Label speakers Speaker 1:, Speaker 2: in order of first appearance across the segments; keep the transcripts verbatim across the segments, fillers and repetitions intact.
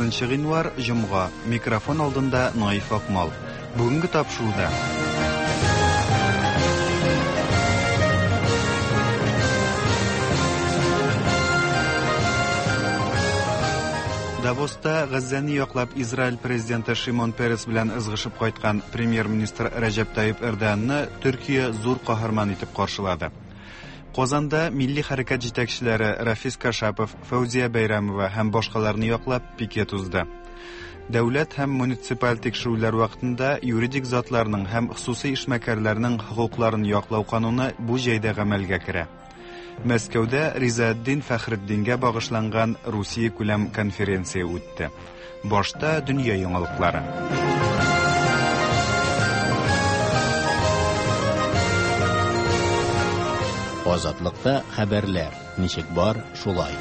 Speaker 1: Утызынчы гыйнвар, җомга. Микрофон алдында Наиф Акмал. Бүгенге тапшыруда Давоста Газзәне яклап Израиль президенты Шимон Перес белән ызгышып кайткан премьер-министр Рәҗәп Тайип Эрдоганны Төркия зур каһарман итеп каршылады. Казанда милли хәрәкәт җитәкчеләре Рафис Кашапов, Фәүзия Бәйрәмова һәм башкаларны яклап пикет узды. Дәүләт һәм муниципаль тикшерүләр вакытында юридик затларның һәм хосусый эшмәкәрләрнең хокукларын яклау кануны бу җәйдә гамәлгә керә. Мәскәүдә Ризаэддин Фәхретдингә багышланган Русия күләм конференция үтте. Башта дөнья яңалыклары.
Speaker 2: Азатлыкта хәбәрләр ничек бар, шулай.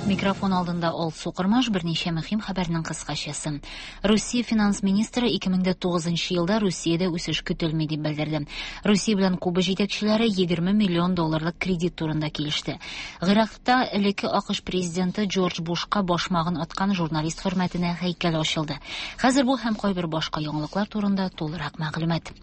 Speaker 3: Микрофон алдында Алсу Кырмаш, берничә мөһим хәбәрнең кыскачасы. Русия финанс министры ике мең дә тугызынчы елда Русиядә үсеш көтелми дип белдерде. Русия белән Куба җитәкчеләре егерме миллион долларлык кредит турында килеште. Гыйракта элекке АКШ президенты Джордж Бушка башмагын аткан журналист хөрмәтенә һәйкәл ачылды. Хәзер бу һәм кайбер башка яңалыклар турында тулырак мәгълүмат.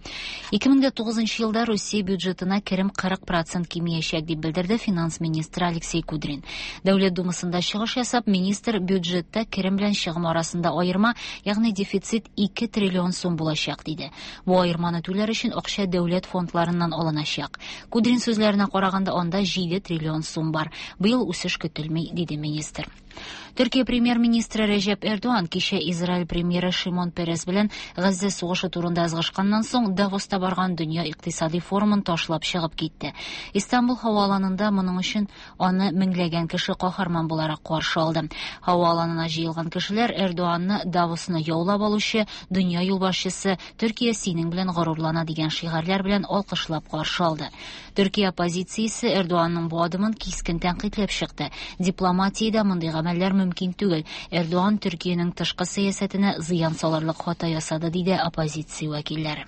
Speaker 3: Ике мең дә тугызынчы елда Русия бюджетына керем кырык процент кимиячәк дип белдерде финанс министры Алексей Кудрин. Дәүләт Думасында чыгыш ясап, министр бюджетта керем белән чыгым арасында аерма, ягъни дефицит ике триллион сум булачак диде. Бу аерманы түләр өчен акча дәүләт фондларыннан алыначак. Кудрин сүзләренә караганда, анда җиде триллион сум бар. Быел үсеш көтелми, диде министр. Төркия премьер-министры Рәҗәп Эрдоган кичә Израиль премьеры Шимон Перес белән Газзә сугышы турында ызгышканнан соң Давоста барган дөнья икътисади форумын ташлап чыгып китте. Истанбул һава аланында моның өчен аны меңләгән кеше каһарман буларак каршы алды. Һава аланына җыелган кешеләр Эрдоганны Давосны яулап алучы дөнья юлбашчысы Төркия синең белән горурлана дигән шигарьләр белән алкышлап каршы алды. Төркия оппозициясе Эрдоганның бу адымын кискен тәнкыйтьләп чыкты. Дипломатиядә мондый гамәлләр мөмкин түгел. Эрдоган Төркиянең тышкы сәясәтенә зыян салырлык хата ясады, диде оппозиция вәкилләре.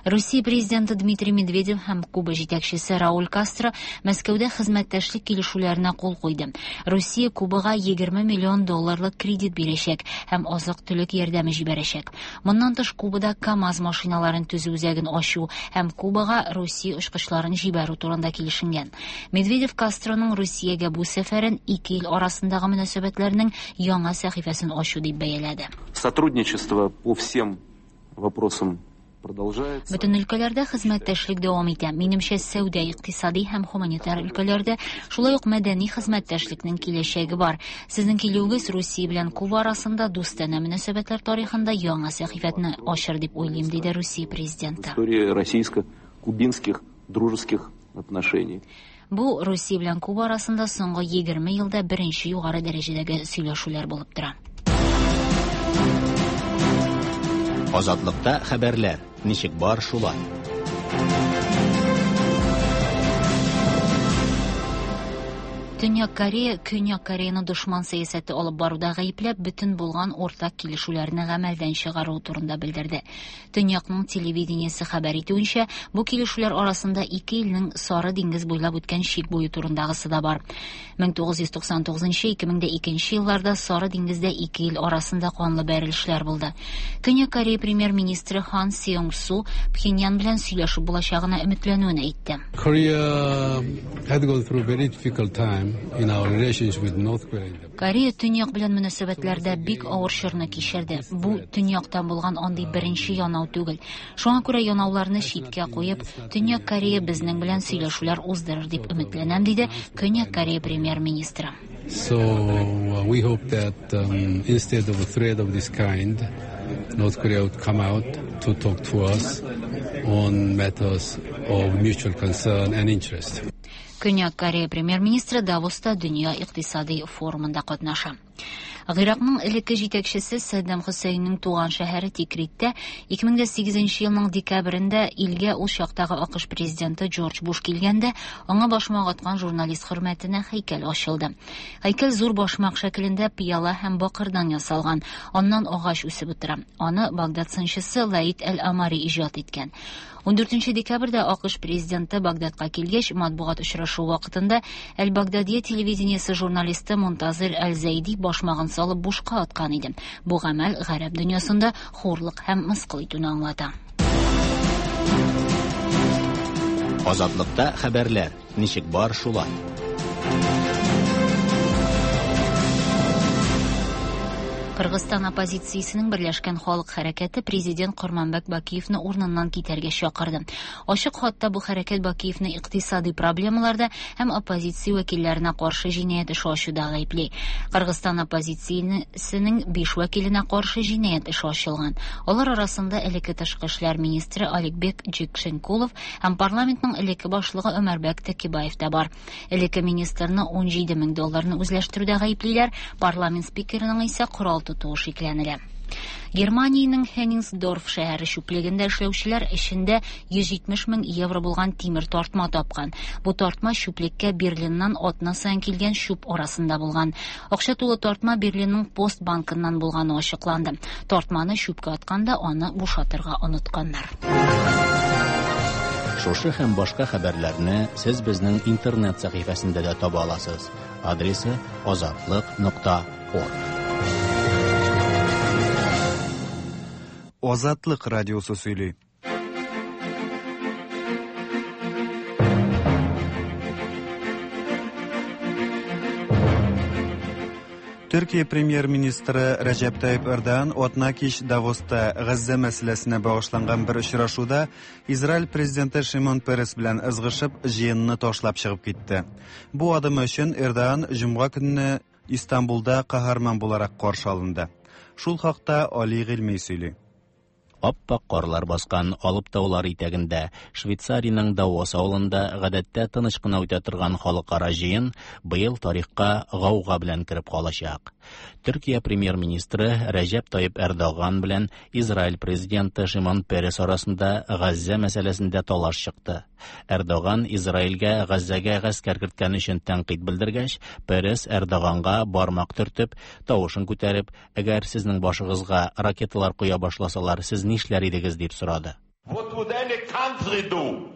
Speaker 3: Русия президенты Дмитрий Медведев һәм Куба җитәкчесе Рауль Кастро Мәскәүдә хезмәттәшлек килешүләренә кул куйды. Русия Кубага егерме миллион долларлык кредит бирәчәк һәм азык-төлек ярдәме җибәрәчәк. Моннан тыш Кубада КАМАЗ машиналарын төзү үзәген ачу һәм Кубага Русия очкычларын җибәрү турында килешенгән. Медведев Кастроның Русиягә бу сәфәрен ике ил арасындагы мөнәсәбәтләрнең яңа сәхифәсен ачу дип бәяләде.
Speaker 4: Сотрудничество по всем вопросам продолжается.
Speaker 3: Бөтен өлкәләрдә хезмәттәшлек дәвам итә. Минемчә, сәүдә, икътисади һәм гуманитар өлкәләрдә, шулай ук мәдәни хезмәттәшлекнең киләчәге бар. Сезнең килүегез Русия белән Куба арасында дустанә мөнәсәбәтләр тарихында яңа сәхифәне ачыр дип уйлыйм, диде Русия президенты.
Speaker 4: История российско-кубинских дружеских отношений.
Speaker 3: Бу Русия белән Куба арасында соңгы егерме елда беренче югары дәрәҗәдәге сөйләшүләр булып тора.
Speaker 2: Азатлыкта хәбәрләр ничек бар, шулай.
Speaker 3: Төньяк Корея Көньяк Кореяны дошман сәясәте алып баруда гаепләп, бөтен булган уртак килешүләрне гамәлдән чыгару турында белдерде. Төньякның телевидениесе хәбәр итүенчә, бу килешүләр арасында ике илнең Сары диңгез буйлап үткән чик буе турындагысы да бар. Мең тугыз йөз туксан тугызынчы, ике мең дә икенче елларда Сары диңгездә ике ил арасында канлы бәрелешләр булды. Көньяк Корея премьер-министры Хан Сеung Су Пхеньян белән сөйләшеп булачагына өметләнүен әйтте.
Speaker 5: Korea had gone through very difficult time in our relations with North Korea.
Speaker 3: Корея төньяк белән мөнәсәбәтләрдә бик авыр чорны кичерде. Бу төньяктан булган андый беренче янау түгел. Шуңа күрә янауларны читкә куеп, Төньяк Корея безнең белән сөйләшүләр уздырыр дип өметләнәм, диде Көньяк Корея премьер-министры.
Speaker 5: So, uh, we hope that, um, instead of a threat of this kind, North Korea would come out to talk to us on matters of mutual concern and interest.
Speaker 3: Көньяк Корея премьер-министры Давоста дөнья икътисади форумында катнаша. Гыйракның элекке җитәкчесе Саддам Хөсәйннең туган шәһәре Тикриттә ике мең дә сигезенче елның декабрендә илгә ул чактагы АКШ президенты Джордж Буш килгәндә аңа башмак аткан журналист хөрмәтенә һәйкәл ачылды. Һәйкәл зур башмак шәкелендә пыяла һәм бакырдан ясалган. Аннан агач үсеп утыра. Аны Багдад сынчысы Лаид Әл-Амари иҗат иткән. Ундүртенче декабрьдә АКШ президенты Багдадка килгәч, матбугат очрашуы вакытында Әл-Багдадия телевидениесе журналисты Мунтазир Әл-Зәйди башмагын салып бушка аткан иде. Бу гамәл гарәп дөньясында хурлык һәм мыскыл итүне аңлата.
Speaker 2: Азатлыкта хәбәрләр ничек бар шулай.
Speaker 3: Кыргызстан оппозициясенең Берләшкән халык хәрәкәте президент Курманбек Бакиевны урыныннан китәргә чакырды. Ачык хатта бу хәрәкәт Бакиевны икътисади проблемаларда һәм оппозиция вәкилләренә каршы җинаять эше ачуда гаепли. Кыргызстан оппозициясенең биш вәкиленә каршы җинаять эше ачылган. Алар арасында элекке тышкы эшләр министры Аликбек Джикшенкулов һәм парламентның элекке башлыгы Өмәрбәк Текебаев та бар. Элекке министрны ун җиде мең долларны үзләштерүдә гаеплиләр, парламент спикерының исә корал тотуы шикләнелә. Германиянең Хенниngsdorf шәһәре чүплегендә эшләүчеләр эчендә йөз җитмеш мең евро булган тимер тартма тапкан. Бу тартма чүплеккә Берлиннан атна саен килгән чүп арасында булган. Акча тулы тартма Берлинның Пост банкыннан булганы ачыкланды. Тартманы чүпкә атканда аны бушатырга онытканнар.
Speaker 2: Шушы һәм башка хәбәрләрне сез безнең интернет сәхифәсендә дә таба аласыз. Адресы азатлык нокта орг.
Speaker 1: Азатлык радиосы сөйли. Төркия премьер-министры Рәҗәп Тайип Эрдоган атна кич Давоста Газзә мәсьәләсенә багышланган бер очрашуда Израиль президенты Шимон Перес белән ызгышып, җыенны ташлап чыгып китте. Бу адымы өчен Эрдоган җомга көнне Истанбулда каһарман буларак каршы алынды. Шул хакта Али Гыйльми сөйли.
Speaker 2: Аппак карлар баскан Алып таулар итәгендә Швейцариянең Давос авылында гадәттә тыныч кына үтә торган халыкара җыен быел тарихка гауга белән кереп калачак. Төркия премьер-министры Рәҗәп Тайип Эрдоган белән Израиль президенты Шимон Перес арасында Газзә мәсьәләсендә талаш чыкты. Эрдоган Израильгә Газзәгә гаскәр керткән өчен тәнкыйть белдергәч, Перес Эрдоганга бармак төртеп, тавышын күтәреп, әгәр сезнең башыгызга ракеталар куя башласалар, сез нишләр идегез дип сорады.
Speaker 6: What would any country do?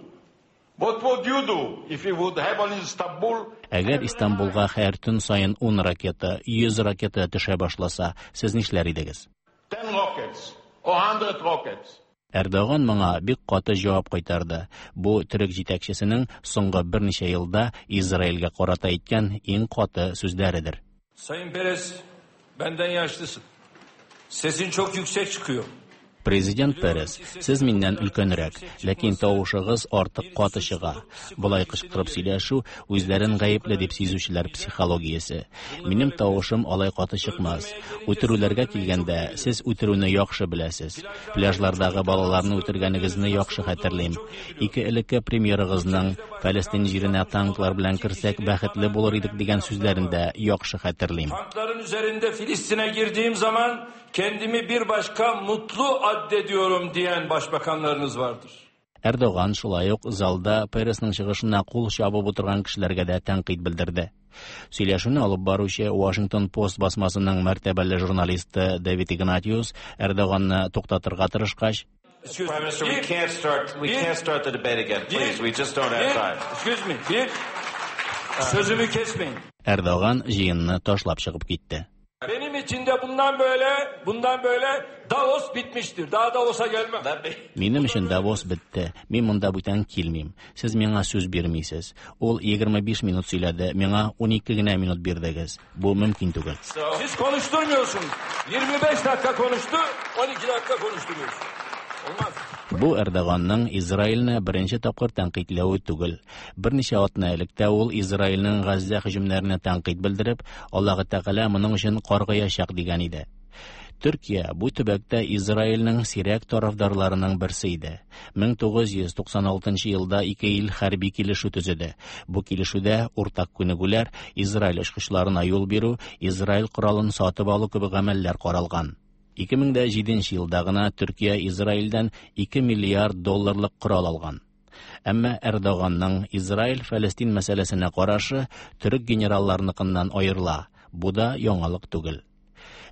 Speaker 6: What would you do if you would have on Istanbul?
Speaker 2: Әгәр Истанбулга һәр төн саен ун ракета, йөз ракета төшә башласа, сез нишләр идегез?
Speaker 6: Ten rockets or hundred rockets.
Speaker 2: Эрдоган моңа бик каты җавап кайтарды. Бу төрек җитәкчесенең соңгы берничә елда Израильгә карата әйткән иң каты сүзләредер.
Speaker 7: Sayın Peres, benden yaşlısın. Sesin çok yüksek çıkıyor.
Speaker 2: Президент Перес, сез миннән өлкәнрәк, ләкин тавышыгыз артык каты чыга. Болай кычкырып сөйләшү үзләрен гаепле дип сизүчеләр психологиясе. Минем тавышым алай каты чыкмас. Үтерүләргә килгәндә, сез үтерүне яхшы беләсез. Пляжлардагы балаларны үтергәнегезне яхшы хәтерлим. Ике элекке премьерыгызның Фәлестин җиренә танклар белән керсәк бәхетле булыр идек дигән сүзләрен дә яхшы хәтерлим.
Speaker 7: Tankların üzerinde Filistin'e girdiğim zaman kendimi bir başka mutlu addediyorum diyen başbakanlarınız vardır.
Speaker 2: Эрдоган шулай ук залда Пересның чыгышына кул чабып утырган кешеләргә дә тәнкыйть белдерде. Сөйләшүне алып баручы Washington Post басмасының мәртәбәле журналисты Дэвид Игнатиус Эрдоганны туктатырга тырышкач,
Speaker 7: Excuse
Speaker 8: Prime
Speaker 7: me.
Speaker 8: Minister, we
Speaker 7: Bir,
Speaker 8: can't start. We
Speaker 7: bir,
Speaker 8: can't start the debate again,
Speaker 7: bir,
Speaker 8: please. We just don't have
Speaker 7: bir,
Speaker 8: time.
Speaker 7: Excuse me. Bir, sözümü kesmeyin.
Speaker 2: Эрдоган җыенны ташлап чыгып китте.
Speaker 7: Benim için de bundan böyle, bundan böyle Davos bitmiştir. Daha Davos'a gelmem.
Speaker 2: Минем өчен Давос бетте. Мин монда бүтән килмим. Сез миңа сүз бирмисез. Ул егерме биш минут сөйләде, миңа унике генә минут бирдегез. Бу мөмкин түгел.
Speaker 7: Siz konuşturmuyorsunuz. yirmi beş dakika konuştu, on iki dakika konuşturuyorsunuz. Olmaz.
Speaker 2: Бу Эрдоганның Израильне беренче тапкыр тәнкыйтьләве түгел. Берничә атна элек тә ул Израильнең Газзә һөҗүмнәренә тәнкыйть белдереп, Аллаһы Тәгалә моның өчен каргаячак дигән иде. Төркия бу төбәктә Израильнең сирәк тарафдарларының берсе иде. мең тугыз йөз туксан алтынчы елда ике ил хәрби килешү төзеде. Бу килешүдә уртак күнегүләр, Израиль очкычларына юл бирү, Израиль коралын сатып алу кебек гамәлләр каралган. Ике мең дә җиденче елда гына Төркия Израильдән ике миллиард долларлык корал алган. Әмма Эрдоганның Израиль-Фәлестин мәсьәләсенә карашы төрек генералларыныкыннан аерыла. Бу да яңалык түгел.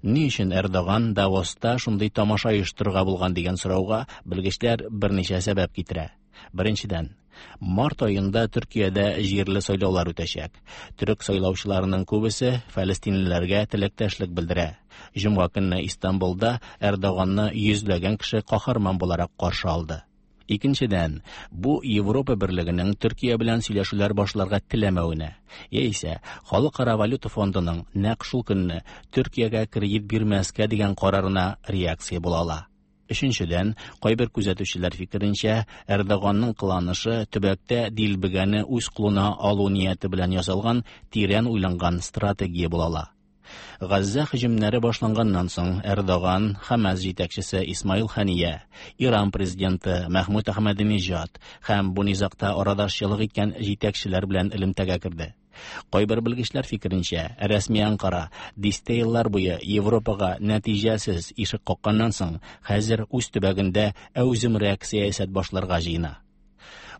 Speaker 2: Ни өчен Эрдоган Давоста шундый тамаша оештырырга булган дигән сорауга белгечләр берничә сәбәп китерә. Беренчедән, март аенда Төркиядә җирле сайлаулар үтәчәк. Төрек сайлаучыларының күбесе фәлестинлеләргә теләктәшлек белдерә. Җомга көнне Истанбулда Эрдоганны йөзләгән кеше каһарман буларак каршы алды. Икенчедән, бу Европа берлегенең Төркия белән сөйләшүләр башларга теләмәвенә, яисә Халыкара валюта фондының нәкъ шул көнне Төркиягә кредит бирмәскә дигән карарына реакция була ала. Өченчедән, кайбер күзәтүчеләр фикеренчә, Эрдоганның кыланышы төбәктә дилбегәне үз кулына алу нияте белән ясалган тирән уйланган стратегия була ала. Газзә һөҗүмнәре башланганнан соң Эрдоган, Хамас җитәкчесе Исмаил Хания, Иран президенты Мәхмүд Әхмәдинежад һәм бу низагта арадашчылык иткән җитәкчеләр белән элемтәгә керде. Кайбер белгечләр фикеренчә, рәсми Анкара дистә еллар буе Европага нәтиҗәсез ишек какканнан соң хәзер үз төбәгендә әүземрәк сәясәт башларга җыена.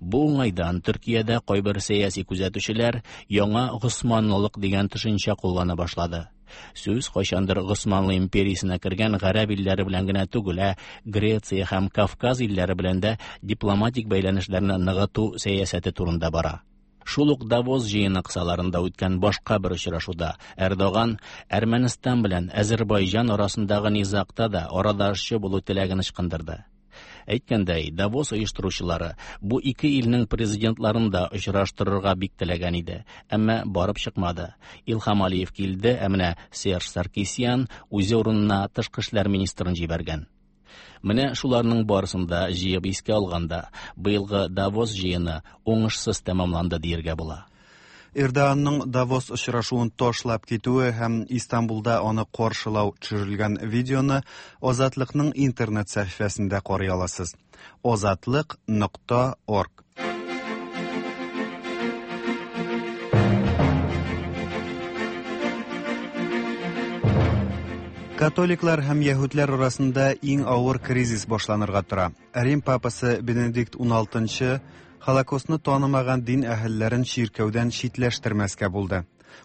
Speaker 2: Бу уңайдан Төркиядә кайбер сәяси күзәтүчеләр яңа Госманлылык дигән төшенчә куллана башлады. Сүз кайчандыр Госманлы империясенә кергән гарәп илләре белән генә түгел, ә Греция һәм Кавказ илләре белән дә дипломатик бәйләнешләрне ныгыту сәясәте турында бара. Шул ук Давос җыены кысаларында үткән башка бер очрашуда Эрдоган Әрмәнстан белән Азербайҗан арасындагы низагта да арадашчы булу теләген ычкындырды. Әйткәндәй, Давос оештыручылары бу ике илнең президентларын да очраштырырга бик теләгән иде, әмма барып чыкмады. Илһам Алиев килде, ә менә Серж Саркисян үзе урынына тышкы эшләр министрын җибәргән. Менә шуларның барысын да җыеп искә алганда, быелгы Давос җыены уңышсыз тәмамланды дияргә була.
Speaker 1: Эрдоганның Давос очрашуын ташлап китүе һәм Истанбулда аны каршылау төшерелгән видеоны Азатлыкның интернет сәхифәсендә карый аласыз. Азатлык нокта орг. Католиклар һәм яһүдләр арасында иң авыр кризис башланырга тора. Рим папасы Бенедикт уналтынчы Холокостны танымаган дин әһелләрен чиркәүдән читләштермәскә булды.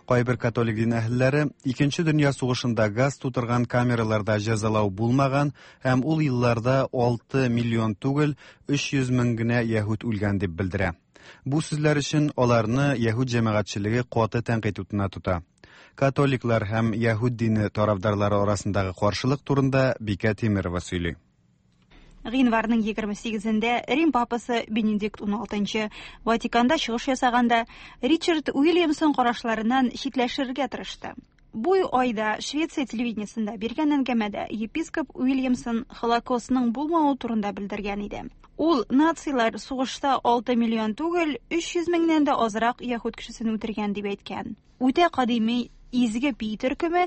Speaker 1: Кайбер католик дин әһелләре Икенче дөнья сугышында газ тутырган камераларда җәзалау булмаган һәм ул елларда алты миллион түгел, өч йөз мең генә яһүд үлгән дип белдерә. Бу сүзләр өчен аларны яһүд җәмәгатьчелеге каты тәнкыйть утына тота. Католиклар һәм яһүд дине тарафдарлары арасындагы каршылык турында Бикә Тимирова сөйли.
Speaker 8: Гыйнварның егерме сигезендә Рим папасы Бенедикт уналтынчы Ватиканда чыгыш ясаганда Ричард Уильямсон карашларыннан читләшергә тырышты. Бу айда Швеция телевидениесендә биргән әңгәмәдә епископ Уильямсон Холокостның булмавы турында белдергән иде. Ул нацилар сугышта алты миллион түгел, өч йөз меңнән дә азрак яһүд кешесен үтергән дип әйткән. Үтә кадими Изге Пи төркеме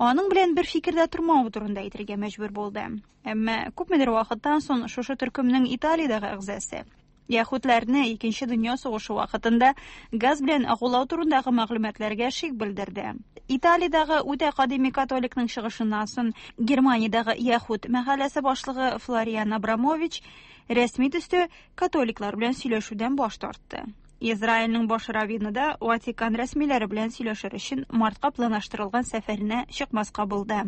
Speaker 8: аның белән бер фикердә тормавы турында әйтергә мәҗбүр булды. Әмма күпмедер вакыттан соң шушы төркемнең Италиядәге әгъзасы яһүдләрне Икенче дөнья сугышы вакытында газ белән агулау турындагы мәгълүматларга шик белдерде. Италиядәге үтә кадими католикның чыгышыннан соң Германиядәге яһүд мәхәлләсе башлыгы Флориан Абрамович рәсми төстә католиклар белән сөйләшүдән баш тартты. Израильнең баш раввины да Ватикан рәсмиләре белән сөйләшер өчен мартка планлаштырылган сәфәренә чыкмаска булды.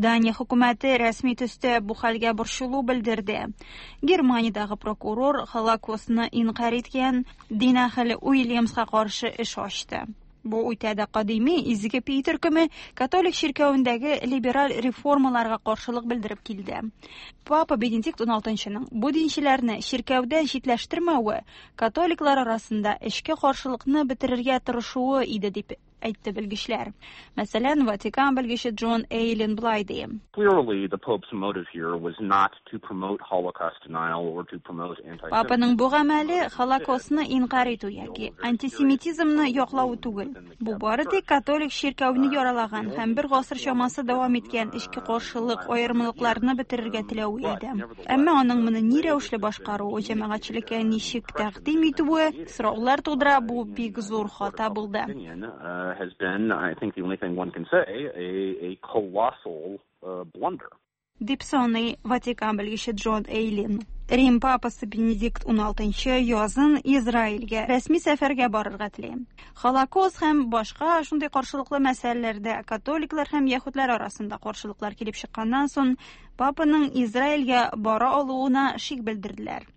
Speaker 8: Дания хөкүмәте рәсми төстә бу хәлгә борчылу белдерде. Германиядәге прокурор Холокостны инкарь иткән дин әһеле Уильямска каршы эш ачты. Бу үтә дә кадими Изге Пи төркеме католик чиркәвендәге либераль реформаларга каршылык белдереп килде. Папа Бенедикт уналтынчының бу динчеләрне чиркәүдән читләштермәве католиклар арасында эчке каршылыкны бетерергә тырышуы иде дип әйтте белгечләр. Мәсәлән, Ватикан белгече Джон Эйлин болай ди.
Speaker 9: Clearly, the Pope's motive here was not to promote Holocaust denial or to promote anti-Semitism.
Speaker 8: Папаның бу гамәле Холокостны инкарь итү яки антисемитизмны яклау түгел. Бу бары тик католик чиркәүне яралаган һәм бер гасыр чамасы дәвам иткән эчке каршылык аермалыкларны бетерергә теләве иде. Әмма аның моны ни рәвешле башкаруы, җәмәгатьчелеккә ничек тәкъдим итүе сораулар тудыра, бу бик зур хата булды.
Speaker 9: Uh, has been, I think the only thing one can say, a, a colossal uh, blunder.
Speaker 8: Дип саный Ватикан белгече Джон Эйлин. Рим папасы Бенедикт уналтынчы язын Израильгә рәсми сәфәргә барырга тели. Холокост һәм башка шундый каршылыклы мәсьәләләрдә католиклар һәм яһүдләр арасында каршылыклар килеп чыкканнан соң папаның Израильгә бара алуына шик белдерделәр.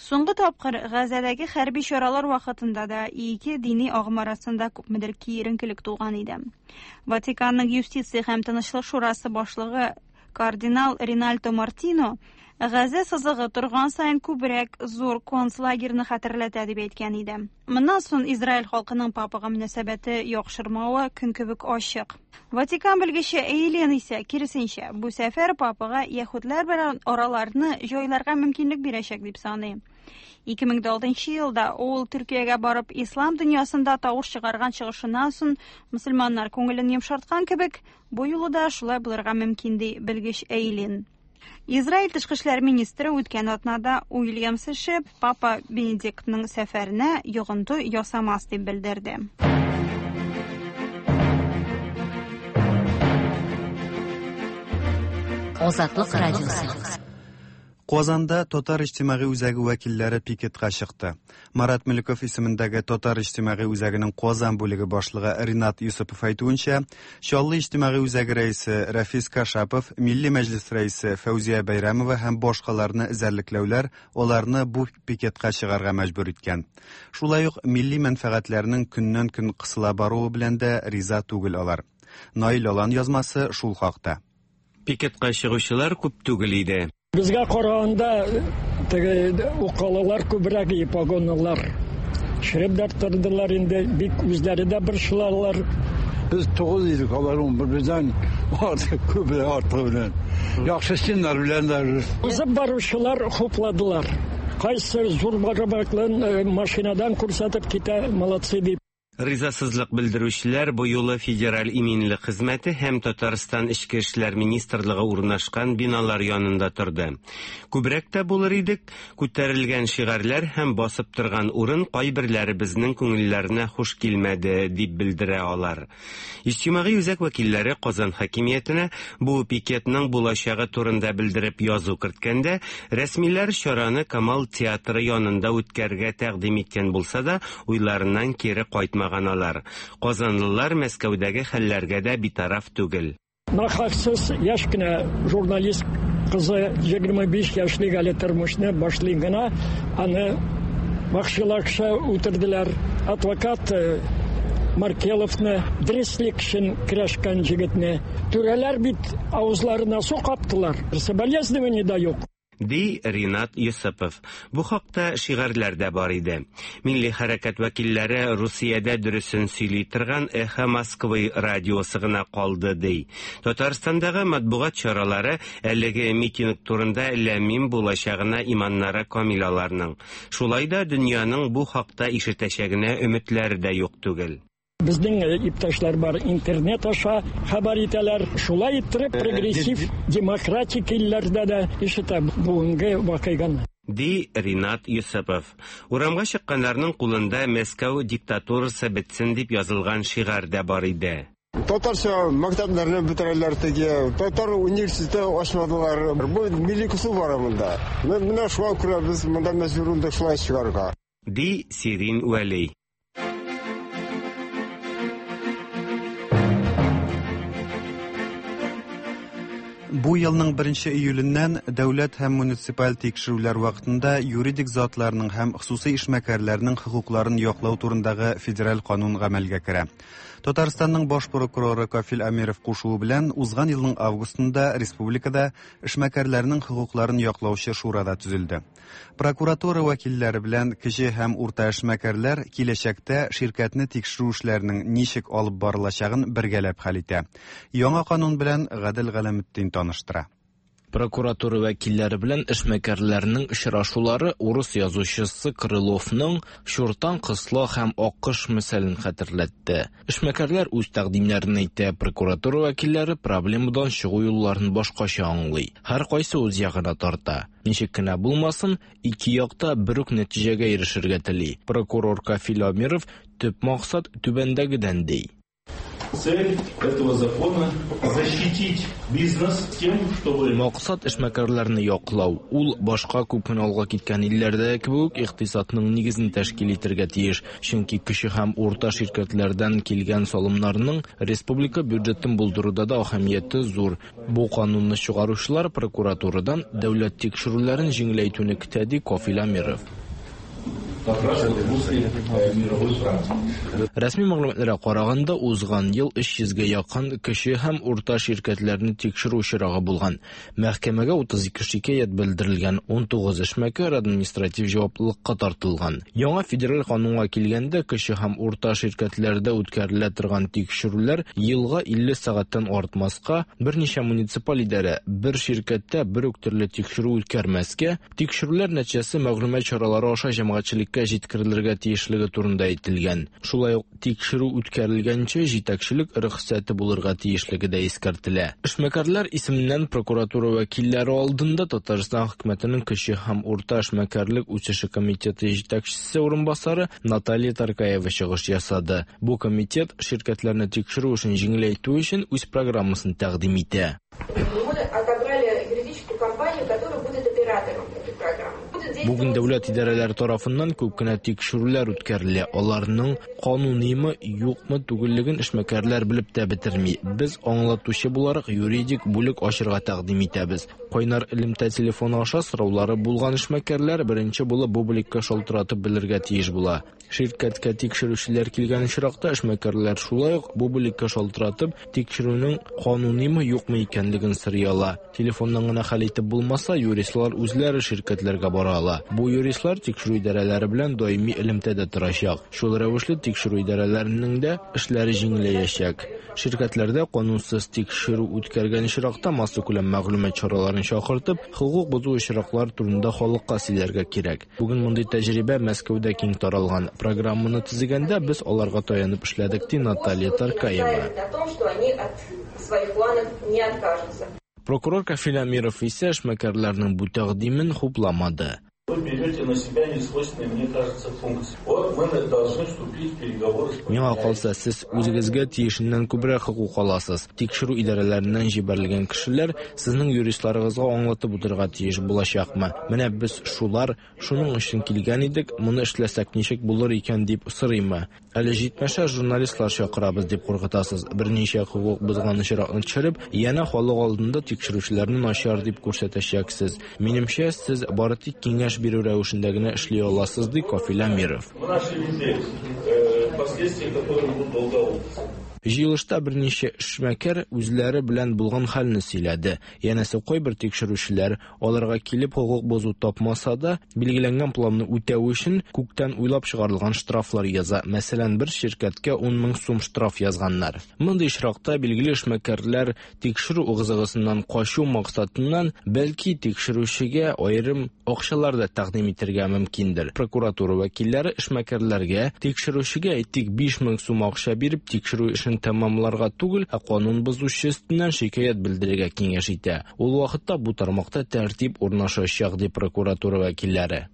Speaker 8: Соңгы тапкыр Газадагы хәрби чаралар вакытында да ике дини агым арасында күпмедер киеренкелек туган иде. Ватиканның юстиция һәм тынычлык шурасы башлыгы кардинал Ринальдо Мартино Газа сызыгы торган саен күбрәк зур концлагерны хәтерләтә дип әйткән иде. Моннан соң Израиль халкының папага мөнәсәбәте яхшырмавы көн кебек ачык. Ватикан белгече Эйлин исә киресенчә, бу сәфәр папага яһүдләр белән араларны җайларга мөмкинлек бирәчәк дип саный. ике мең алтынчы елда ул Төркиягә барып ислам дөньясында тавыш чыгарган чыгышыннан соң мөселманнар күңелен йомшарткан кебек, бу юлы да шулай булырга мөмкин ди белгеч Эйлин. Израиль тышкы эшләр министры үткән атнада Уильямс эше Папа Бенедиктның сәфәренә йогынты ясамас дип белдерде.
Speaker 3: Азатлык радиосы.
Speaker 1: Казанда Татар иҗтимагый үзәге вәкилләре пикетка чыкты. Марат Мөлеков исемендәге Татар иҗтимагый үзәгенең Казан бүлеге башлыгы Ринат Юсупов әйтүенчә, Чаллы иҗтимагый үзәге рәисе Рафис Кашапов, Милли мәҗлис рәисе Фәүзия Бәйрәмова һәм башкаларны эзәрлекләүләр аларны бу пикетка чыгарга мәҗбүр иткән. Шулай ук милли мәнфәгатьләрнең көннән-көн кысыла баруы белән дә риза түгел алар. Наил Алан язмасы шул хакта.
Speaker 10: Пикетка чыгучылар күп түгел иде.
Speaker 11: Безгә караганда теге укалалар күбрәк, погонлылар. Шереп дә тордылар инде, бик үзләре дә борчылалар.
Speaker 12: Без тугыз идек, алар унбер, бездән артык күбрәк, артыгы белән. Яхшы стеннар белән дә.
Speaker 11: Узып баручылар хупладылар. Кайсы зур барабаклын машинадан күрсәтеп китә, молодцы дип.
Speaker 10: Ризасызлык белдерүчеләр бу юлы Федераль иминлек хезмәте һәм Татарстан Эчке эшләр министрлыгы урнашкан биналар янында торды. Күбрәк тә булыр идек, күтәрелгән шигарьләр һәм басып торган урын кайберләребезнең күңелләренә хуш килмәде, дип белдерә алар. Иҗтимагый үзәк вәкилләре Казан хакимиятенә бу пикетның булачагы турында белдереп язу керткәндә, рәсмиләр чараны Камал театры янында үткәрергә тәкъдим иткән булса да, уйларыннан кире кайтмаган алар. Казанлылар Мәскәүдәге хәлләргә дә битараф түгел.
Speaker 11: Нахаксыз яшь кенә журналист кызы егерме биш яшьлек әле тормышны башлый гына, аны вахшиларча үтерделәр. Адвокат Маркеловны, дөреслек өчен көрәшкән егетне түрәләр бит авызларына су каптылар. Соболезнования да юк.
Speaker 10: Ди Ринат Юсупов. Бу хакта шигарьләр дә бар иде. Милли хәрәкәт вәкилләре Русиядә дөресен сөйли торган Эхо Москвы радиосы гына калды ди. Татарстандагы матбугат чаралары әлеге митинг турында ләмим булачагына иманнары камил аларның. Шулай да дөньяның бу хакта ишетәчәгенә өметләре дә юк түгел.
Speaker 11: Безнең иптәшләр бар, интернет аша хәбәр итәләр. Шулай иттереп прогрессив демократик илләрдә дә ишетә бүгенге вакыйганы.
Speaker 10: Ди Ринат Юсупов. Урамга чыкканнарның кулында Мәскәү диктатурасы бетсен дип язылган шигарь дә бар иде.
Speaker 12: Татарча мәктәпләрне бетерәләр теге, татар университеты ачмадылар. Бу милли кысу бар монда. Менә шуңа күрә без монда мәҗбүр булдык шулай чыгарга.
Speaker 10: Ди Сирин Вәли.
Speaker 1: Бу елның беренче июленнән дәүләт һәм муниципаль тикшерүләр вакытында юридик затларның һәм хосусый эшмәкәрләрнең хокукларын яклау турындагы федераль канун гамәлгә керә. Татарстанның баш прокуроры Кафил Әмиров кушуы белән узган елның августында республикада эшмәкәрләрнең хокукларын яклаучы шура да төзелде. Прокуратура вәкилләре белән кече һәм урта эшмәкәрләр киләчәктә ширкәтне тикшерү эшләренең ничек алып барылачагын бергәләп хәл итә. Яңа канун белән Гадел Галәметдин таныштыра.
Speaker 13: Прокуратура вәкилләре белән эшмәкәрләрнең очрашулары урыс язучысы Крыловның «Чуртан, кысла һәм аккош» мисалын хәтерләтте. Эшмәкәрләр үз тәкъдимнәрен әйтә, прокуратура вәкилләре проблемадан чыгу юлларын башкача аңлый. Һәркайсы үз ягына тарта. Ничек кенә булмасын, ике якта бер үк нәтиҗәгә ирешергә тели. Прокурор Кафил Әмиров төп максат түбәндәгедән ди.
Speaker 14: Цель этого закона защитить бизнес тем, чтобы...
Speaker 13: Максат эшмәкәрләрне яклау. Ул башка күп кенә алга киткән илләрдә кебек икътисадның нигезен тәшкил итәргә тиеш. Чөнки кече һәм урта ширкәтләрдән килгән салымнарның республика бюджетын булдыруда да әһәмияте зур. Бу канунны чыгаручылар прокуратурадан дәүләт тикшерүләрен җиңеләйтүне көтә, ди Кафил Әмиров. Рәсми мәгълүматларга караганда, узган ел өч йөзгә якын кече һәм урта ширкәтләрне тикшерү очрагы булган. Мәхкәмәгә утыз ике шикаять белдерелгән, ун тугыз эшмәкәр административ җаваплылыкка тартылган. Яңа федераль канунга килгәндә, кече һәм урта ширкәтләрдә үткәрелә торган тикшерүләр елга илле сәгатьтән артмаска, берничә муниципаль идарә бер ширкәттә бер үк төрле тикшерү үткәрмәскә, тикшерүләр нәтиҗәсе мәгълүмат чаралары аша җәмәгатьчелеккә җиткерелергә тиешлеге турында әйтелгән. Шулай ук тикшерү үткәрелгәнче җитәкчелек рөхсәте булырга тиешлеге дә искәртелә. Эшмәкәрләр исеменнән прокуратура вәкилләре алдында Татарстан хөкүмәтенең кече һәм урта эшмәкәрлек үсеше комитеты җитәкчесе урынбасары Наталья Таркаева чыгыш ясады. Бу комитет ширкәтләрне тикшерү эшен җиңеләйтү өчен үз программасын тәкъдим итә.
Speaker 15: Мы отобрали юридическую компанию, которая будет оператором этой программы.
Speaker 13: Бүген дәүләт идарәләре тарафыннан күп кенә тикшерүләр үткәрелә. Аларның канунимы, юкмы түгеллеген эшмәкәрләр белеп тә бетерми. Без аңлатучы буларак юридик бүлек ачырга тәкъдим итәбез. Кайнар элемтә телефоны аша сораулары булган эшмәкәрләр беренче булып бу бүлеккә шалтыратып белергә тиеш була. Ширкәткә тикшерүчеләр килгән очракта эшмәкәрләр шулай ук бу бүлеккә шалтыратып тикшерүнең канунимы, юкмы икәнлеген сорый ала. Телефоннан гына хәл итеп булмаса, юристлар үзләре ширкәтләргә бара ала. Бу юристлар тикшерү идарәләре белән даими элемтәдә торачак. Шул рәвешле тикшерү идарәләренең дә эшләре җиңеләячәк. Ширкәтләрдә канунсыз тикшерү үткәргән очракта массакүләм мәгълүмат чараларын чакыртып, хокук бозу очраклары турында халыкка сөйләргә кирәк. Бүген мондый тәҗрибә Мәскәүдә киң таралган. Программаны төзегәндә без аларга таянып эшләдек, ди Наталья Таркаева. Прокурор Кафил Әмиров исә эшмәкәрләрнең бу тәкъдимен хупламады.
Speaker 14: Вы берете на себя несвойственные, мне кажется, функции. Вот мы должны вступить в переговоры с...
Speaker 13: Миңа калса, сез үзегезгә тиешеннән күбрәк хокук аласыз. Тикшерү идарәләреннән җибәрелгән кешеләр сезнең юристларыгызга аңлатып утырырга тиеш булачакмы? Менә без шулар, шуның өчен килгән идек, моны эшләсәк ничек булыр икән дип сорыймы? Әле җитмәсә журналистлар чакырабыз дип куркытасыз. Берничә хокук бозган очракны төшереп, янә халык алдында тикшерүчеләрне начар дип күрсәтәчәксез. Минемчә, сез бары тик киңәш бирү рәвешендә генә эшли аласыз, ди Кафил Әмиров. Җыелышта берничә эшмәкәр үзләре белән булган хәлне сөйләде. Янәсе, кайбер тикшерүчеләр аларга килеп хокук бозу тапмаса да, билгеләнгән планны үтәү өчен күктән уйлап чыгарылган штрафлар яза. Мәсәлән, бер ширкәткә ун мең сум штраф язганнар. Мондый очракта билгеле эшмәкәрләр тикшерү ыгы-зыгысыннан качу максатыннан бәлки тикшерүчегә аерым акчалар да тәкъдим итәргә мөмкиндер. Прокуратура вәкилләре эшмәкәрләргә тикшерүчегә әйтик биш мең сум акча биреп тикшерү эшен тәмамларга түгел, ә канун бозучы өстеннән шикаять белдерергә киңәш итә. Ул вакытта бу тармакта тәртип урнашачак, ди прокуратура вәкилләре.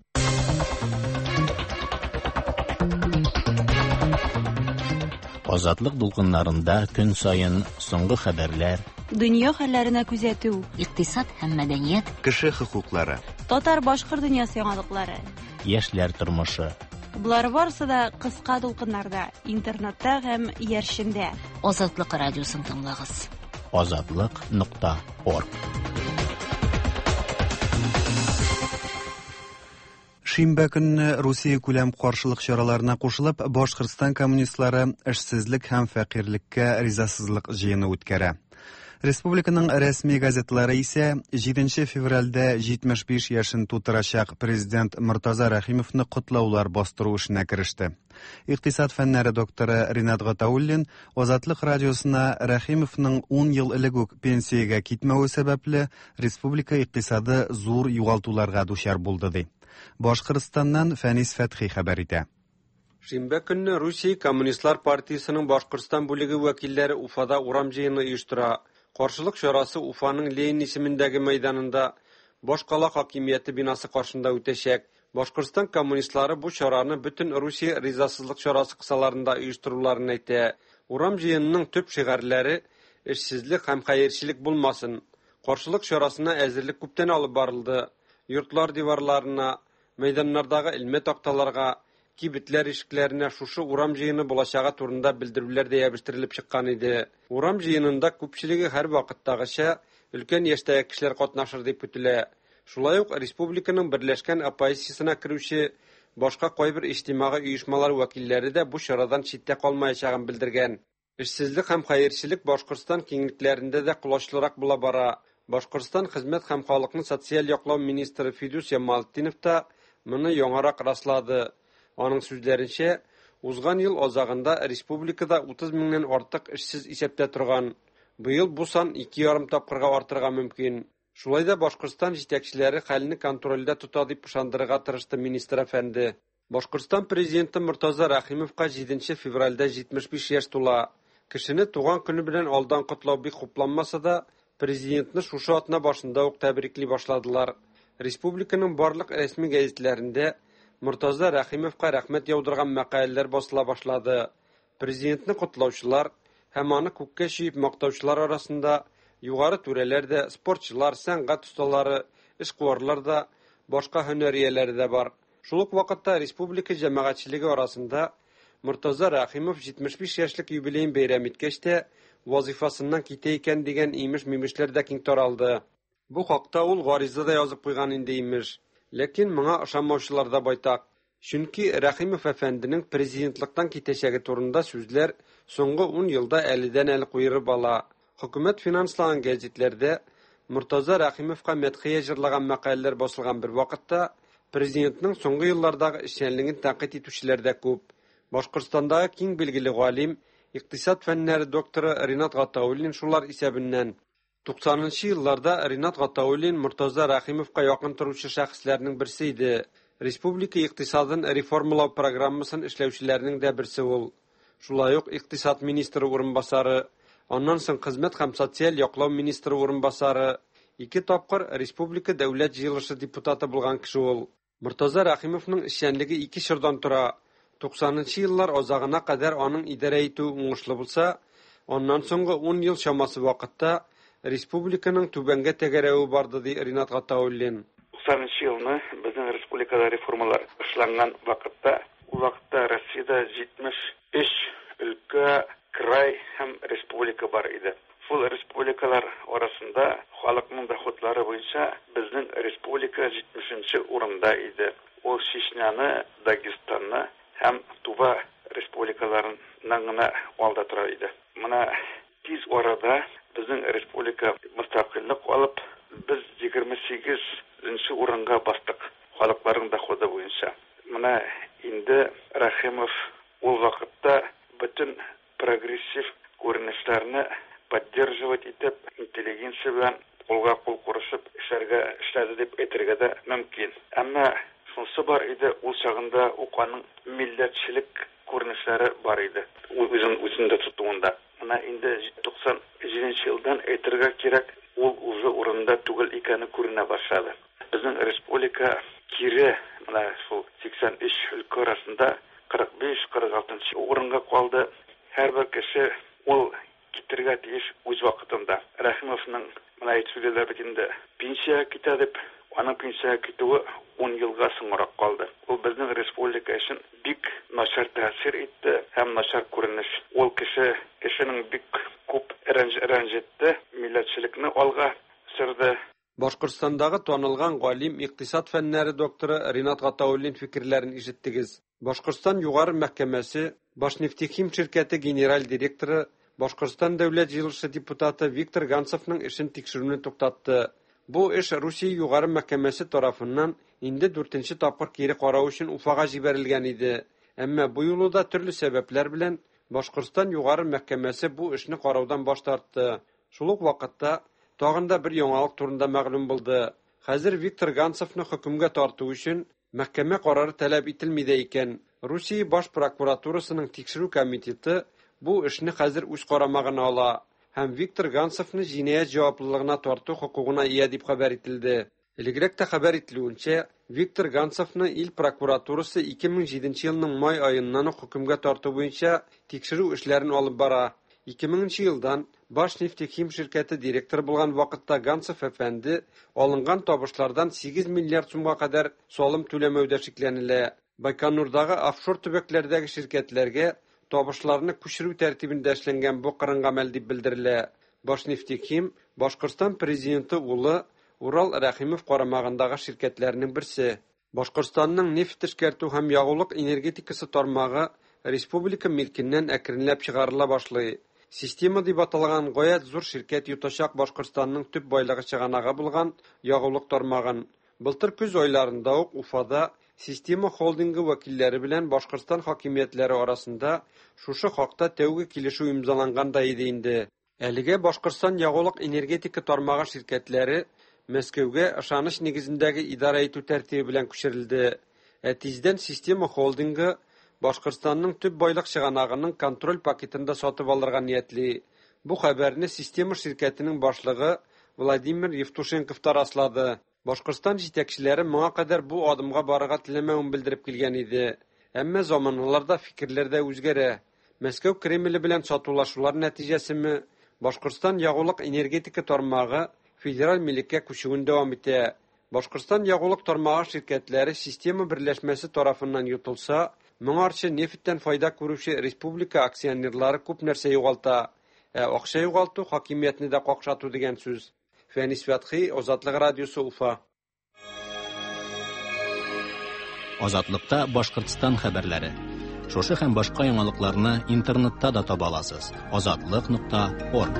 Speaker 2: Азатлык дулкыннарында көн саен соңгы хәбәрләр,
Speaker 8: дөнья хәлләренә күзәтү,
Speaker 3: икътисад һәм мәдәният,
Speaker 1: кеше хокуклары,
Speaker 8: татар-башкорт дөньясы яңалыклары,
Speaker 2: яшьләр тормышы.
Speaker 8: Болар барысы да кыска дулкыннарда, интернетта һәм иярчендә.
Speaker 3: Азатлык радиосын тыңлагыз.
Speaker 2: Азатлык нокта орг.
Speaker 1: Шимбә көнне Русия күләм каршылык чараларына кушылып, Башкортстан коммунистлары эшсезлек һәм фәкыйрьлеккә ризасызлык җыены үткәрә. Республиканың рәсми газетлары исә җиденче февральдә җитмеш биш яшен тутырачак президент Мортаза Рәхимовны котлаулар бастыру эшенә кереште. Икътисад фәннәре докторы Ринат Гатауллин Азатлык радиосына Рәхимовның ун ел элек үк пенсиягә китмәве сәбәпле республика икътисады зур югалтуларга дучар булды ди. Башкортстаннан Фәнис Фәтхи хәбәр итә.
Speaker 16: Шимбә көнне Русия Коммунистлар партиясенең Башкортстан бүлеге вәкилләре Уфада урам җыены оештыра. Каршылык чарасы Уфаның Ленин исемендәге мәйданында башкала хакимияте бинасы каршында үтәчәк. Башкортстан коммунистлары бу чараны бөтен Русия ризасызлык чарасы кысаларында оештыруларын әйтә. Урам җыенының төп шигарьләре эшсезлек һәм хәерчелек булмасын. Каршылык чарасына әзерлек күптән алып барылды. Йортлар диварларына, мәйданнардагы элмә такталарга, кибетләр ишекләренә шушы урам җыены булачагы турында белдерүләр дә ябыштырылып чыккан иде. Урам җыенында күпчелеге һәр вакыттагыча өлкән яшьтәге кешеләр катнашыр дип көтелә. Шулай ук республиканың берләшкән оппозициясенә керүче башка кайбер иҗтимагый оешмалар вәкилләре дә бу чарадан читтә калмаячагын белдергән. Эшсезлек һәм хәерчелек Башкортстан киңлекләрендә дә колачлырак була бара. Башкортстан хезмәт һәм халыкны социаль яклау министры Фидус Ямалтдинов та моны яңарак раслады. Аның сүзләренчә, узган ел азагында республикада утыз меңнән артык эшсез исәптә торган. Быел бу сан ике ярым тапкырга артырга мөмкин. Шулай да Башкортстан җитәкчеләре хәлне контрольдә тота дип ышандырырга тырышты министр әфәнде. Башкортстан президенты Мортаза Рәхимовка җиденче февральдә җитмеш биш яшь тула. Кешене туган көне белән алдан котлау бик хупланмаса да, президентны шушы атна башында ук тәбрикли башладылар. Республиканың барлык рәсми гәзитләрендә Мортаза Рәхимовка рәхмәт яудырган мәкаләләр басыла башлады. Президентны котлаучылар һәм аны күккә чөеп мактаучылар арасында югары түрәләр дә, спортчылар, сәнгать осталары, эшкуарлар да, башка һөнәр ияләре дә бар. Шул ук вакытта республика җәмәгатьчелеге арасында Мортаза Рәхимов җитмеш биш яшьлек юбилеен бәйрәм иткәч тә вазифасыннан китә икән дигән имеш-мимешләр дә киң таралды. Бу хакта ул гариза да язып куйган инде имеш. Ләкин моңа ышанмаучылар да байтак. Чөнки Рәхимов әфәнденең президентлыктан китәчәге турында сүзләр соңгы ун елда әледән-әле куерып ала. Хөкүмәт финанслаган гәзитләрдә Мортаза Рәхимовка мәдхия җырлаган мәкаләләр басылган бер вакытта президентның соңгы еллардагы эшчәнлеген тәнкыйть итүчеләр дә күп. Башкортстандагы киң билгеле галим, икътисад фәннәре докторы Ринат Гатауллин шулар исәбеннән. Туксанынчы елларда Ринат Гатауллин Мортаза Рәхимовка якын торучы шәхесләрнең берсе иде. Республика икътисадын реформалау программасын эшләүчеләрнең дә берсе ул. Шулай ук икътисад министры урынбасары, аннан соң хезмәт һәм социаль яклау министры урынбасары, ике тапкыр республика дәүләт җыелышы депутаты булган кеше ул. Мортаза Рәхимовның эшчәнлеге ике чордан тора. Туксанынчы еллар азагына кадәр аның идарә итүе уңышлы булса, аннан соңгы ун ел чамасы вакытта республиканың түбәнгә тәгәрәве барды, ди Ринат Гатауллин.
Speaker 17: Туксанынчы елны безнең республикада реформалар эшләнгән вакытта, ул вакытта Россиядә җитмеш өч өлкә, край һәм республика бар иде. Шул республикалар арасында халыкның доходлары буенча безнең республика җитмешенче урында иде. Ул Чечняны, Дагестанны һәм Тува республикаларыннан гына алда тора иде. Менә тиз арада безнең республика мөстәкыйльлек алып, без егерме сигезенче урынга бастык халыкларның доходы буенча. Менә инде Рәхимов ул вакытта бөтен прогрессив күренешләрне поддерживать итеп, интеллигенция белән кулга кул курышып эшләргә эшләде дип әйтергә дә мөмкин. Әмма шунысы бар иде, ул чагында ук аның милләтчелек күренешләре бар иде. Ул үзен үзендә тотуында. Менә инде туксан җиденче елдан әйтергә кирәк, ул үзе урында түгел икәне күренә башлады. Безнең республика кире менә шул сиксән өч өлкә арасында кырык биш, кырык алтынчы урынга калды. Һәрбер кеше ул китергә тиеш үз вакытында. Рәхимовның менә әйтеп сөйлиләр бит инде, пенсиягә китә дип, аның пенсиягә китүе ун елга соңрак калды. Ул безнең республика өчен бик начар тәэсир итте һәм начар күренеш. Ул кеше кешенең бик күп рәнҗетте, милләтчелекне алга сөрде.
Speaker 16: Башкортстандагы танылган галим, икътисад фәннәре докторы Ринат Гатауллин фикерләрен ишеттегез. Башкортстан Югары мәхкәмәсе Башнефтехим ширкәте генераль директоры, Башкортстан Дәүләт җыелышы депутаты Виктор Ганцевның эшен тикшерүне туктатты. Бу эш Русия Югары мәхкәмәсе тарафыннан инде дүртенче тапкыр кире карау өчен Уфага җибәрелгән иде. Әмма бу юлы да төрле сәбәпләр белән Башкортстан Югары мәхкәмәсе бу эшне караудан баш тартты. Шул ук вакытта тагын да бер яңалык турында мәгълүм булды. Хәзер Виктор Ганцевны хөкемгә тарту өчен мәхкәмә карары таләп ителми дә икән. Русия Баш прокуратурасының тикшерү комитеты бу эшне хәзер үз карамагына ала һәм Виктор Ганцевны җинаять җаваплылыгына тарту хокукына ия дип хәбәр ителде. Элегрәк тә хәбәр ителүенчә, Виктор Ганцевны ил прокуратурасы ике мең җиденче елның май аеннан ук хөкемгә тарту буенча тикшерү эшләрен алып бара. ике меңенче елдан Башнефтехим ширкәте директоры булган вакытта Ганцев әфәнде алынган табышлардан сигез миллиард сумга кадәр салым түләмәүдә шикләнелә. Байконурдагы офшор төбәкләрдәге ширкәтләргә табышларны күчерү тәртибендә эшләнгән бу кырын гамәл дип белдерелә. Башнефтехим Башкортстан президенты улы Урал Рәхимов карамагындагы ширкәтләрнең берсе. Башкортстанның нефть эшкәртү һәм ягулык энергетикасы тармагы республика милкеннән әкренләп чыгарыла башлый. Система дип аталган гаять зур ширкәт йотачак Башкортстанның төп байлыгы чыганагы булган ягулык тармагын. Былтыр көз айларында ук Уфада Система холдингы вәкилләре белән Башкортстан хакимиятләре арасында шушы хакта тәүге килешү имзаланган да иде инде. Әлегә Башкортстан ягулык энергетика тармагы ширкәтләре Мәскәүгә ышаныч нигезендәге идарә итү тәртибе белән күчерелде. Ә тиздән Система холдингы Башкортстанның төп байлык чыганагының контроль пакетын да сатып алырга ниятли. Бу хәбәрне Система ширкәтенең башлыгы Владимир Евтушенков та раслады. Башкортстан җитәкчеләре моңа кадәр бу адымга барырга теләмәвен белдереп килгән иде. Әмма заманаларда фикерләр дә үзгәрә. Мәскәү Кремле белән сатулашулар нәтиҗәсеме Башкортстан ягулык энергетика тармагы федераль милеккә күчүен дәвам итә. Башкортстан ягулык тармагы ширкәтләре система берләшмәсе тарафыннан йотылса, моңарчы нефтьтән файда күрүче республика акционерлары күп нәрсә югалта. Ә акча югалту хакимиятне дә какшату дигән сүз. Фәнис Фәтхи, Азатлык радиосы, Уфа.
Speaker 2: Азатлыкта Башкортстан хәбәрләре. Шушы һәм башка яңалыкларны интернетта да таба аласыз. азатлык нокта орг.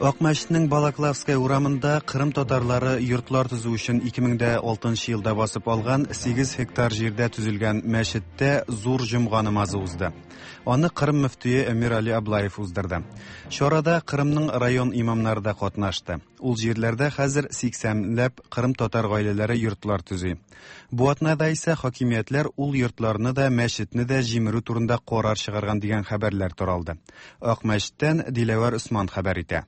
Speaker 1: Акмәчетнең Балаклавская урамында Кырым татарлары йортлар төзү өчен ике мең дә алтынчы елда басып алган сигез гектар җирдә төзелгән мәчеттә зур җомга намазы узды. Аны Кырым мөфтие Эмир Али Аблаев уздырды. Чарада Кырымның район имамнары да катнашты. Ул җирләрдә хәзер сиксәнләп Кырым татар гаиләләре йортлар төзи. Бу атнада исә хакимиятләр ул йортларны да, мәчетне дә җимерү турында карар чыгарган дигән хәбәрләр таралды. Акмәчеттән Диләвәр Усман хәбәр итә.